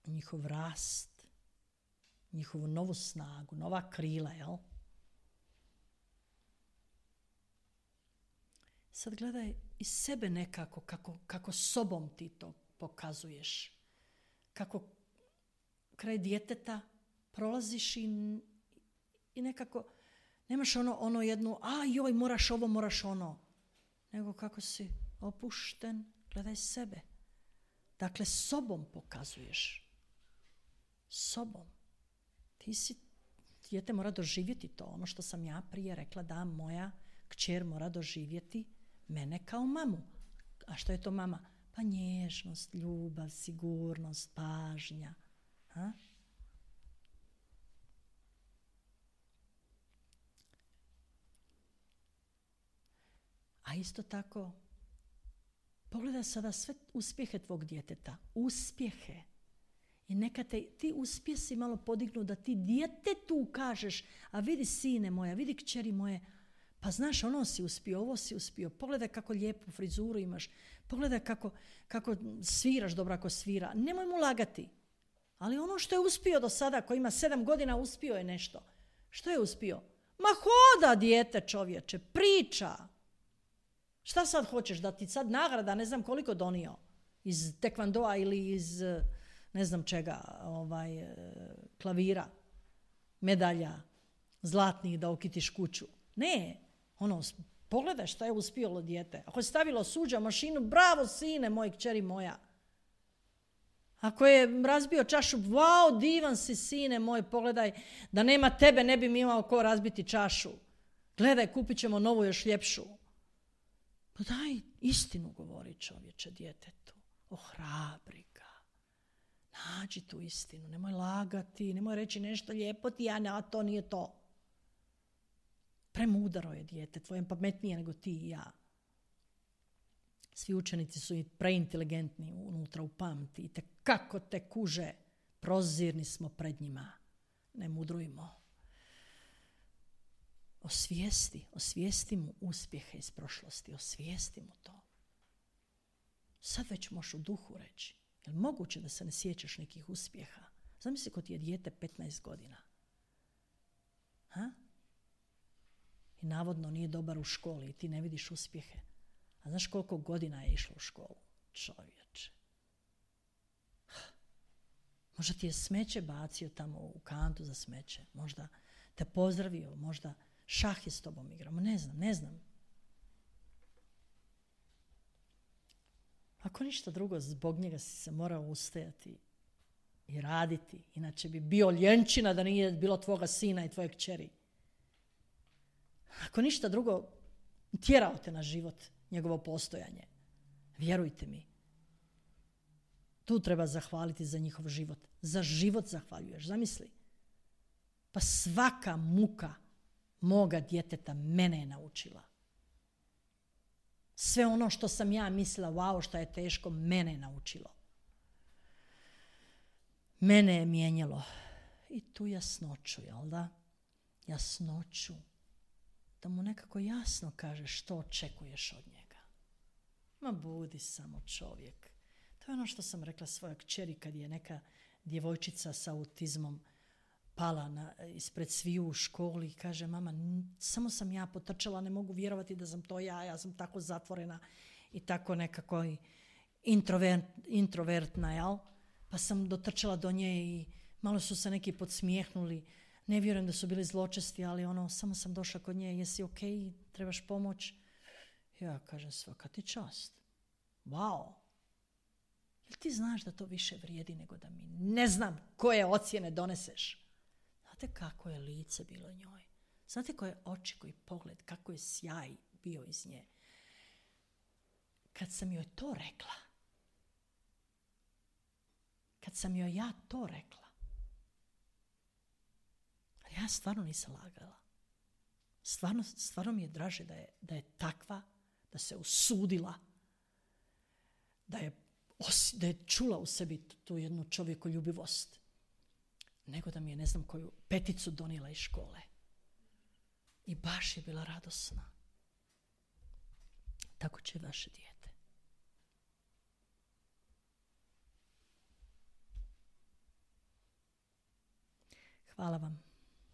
njihov rast, njihovu novu snagu, nova krila, jel? Sad gledaj i sebe nekako, kako sobom ti to pokazuješ. Kako kraj djeteta prolaziš i nekako nemaš ono jednu, joj, moraš ovo, moraš ono. Nego kako si opušten, gledaj sebe. Dakle, sobom pokazuješ. Sobom. Dijete mora doživjeti to. Ono što sam ja prije rekla, da moja kćer mora doživjeti mene kao mamu. A što je to mama? Pa nježnost, ljubav, sigurnost, pažnja. A isto tako, pogledaj sada sve uspjehe tvog djeteta. Uspjehe. I neka te ti uspjesi malo podignu da ti djetetu kažeš, a vidi sine moja, vidi kćeri moje, pa znaš, ono si uspio, ovo si uspio, pogledaj kako lijepu frizuru imaš, pogledaj kako sviraš dobro ako svira. Nemoj mu lagati. Ali ono što je uspio do sada, ko ima 7 godina, uspio je nešto. Što je uspio? Ma hoda dijete, čovječe, priča. Šta sad hoćeš, da ti sad nagrada, ne znam koliko donio, iz tekvandoa ili iz ne znam čega, klavira, medalja, zlatnih da okitiš kuću. Ne, pogledaj šta je uspjelo dijete. Ako je stavilo suđa mašinu, bravo sine moj, kćeri moja. Ako je razbio čašu, wow, divan si sine moj, pogledaj, da nema tebe ne bi mi imao ko razbiti čašu. Gledaj, kupit ćemo novu još ljepšu. Pa daj, istinu govori čovječe djetetu. Ohrabri ga. Nađi tu istinu, nemoj lagati, nemoj reći nešto lijepo ti, a to nije to. Premudaro je dijete, tvoje pametnije nego ti i ja. Svi učenici su i preinteligentni unutra u pamti. I kako te kuže, prozirni smo pred njima. Ne mudrujmo. Osvijesti mu uspjehe iz prošlosti, osvijesti mu to. Sad već možeš u duhu reći, je li moguće da se ne sjećaš nekih uspjeha? Zamisli ko ti je dijete 15 godina. I navodno nije dobar u školi i ti ne vidiš uspjehe. A znaš koliko godina je išlo u školu? Čovječe. Možda ti je smeće bacio tamo u kantu za smeće. Možda te pozdravio, možda šah je s tobom igrao. Ne znam. Ako ništa drugo, zbog njega si se morao ustajati i raditi. Inače bi bio ljenčina da nije bilo tvoga sina i tvoje kćeri. Ako ništa drugo, tjerao te na život njegovo postojanje. Vjerujte mi. Tu treba zahvaliti za njihov život. Za život zahvaljuješ. Zamisli. Pa svaka muka moga djeteta mene je naučila. Sve ono što sam ja mislila, wow, što je teško, mene je naučilo. Mene je mijenjalo. I tu jasnoću, jel da? Jasnoću. Da mu nekako jasno kažeš što očekuješ od njega. Ma budi samo čovjek. To je ono što sam rekla svojoj kćeri kad je neka djevojčica sa autizmom pala ispred sviju u školi i kaže, mama, samo sam ja potrčala, ne mogu vjerovati da sam to ja sam tako zatvorena i tako nekako introvertna, jel? Pa sam dotrčala do nje i malo su se neki podsmijehnuli. Ne vjerujem da su bili zločesti, ali samo sam došla kod nje, jesi ok, trebaš pomoć? Ja kažem, svaka ti čast. Wow. Jel ti znaš da to više vrijedi nego da mi ne znam koje ocjene doneseš? Znate kako je lice bilo njoj? Znate koje oči, koji pogled, kako je sjaj bio iz nje? Kad sam joj to rekla, kad sam joj ja to rekla, ja stvarno nisam lagala. Stvarno mi je draže da je takva, da se usudila, da je čula u sebi tu jednu čovjekoljubivost, nego da mi je ne znam koju peticu donijela iz škole. I baš je bila radosna. Tako će vaše dijete. Hvala vam.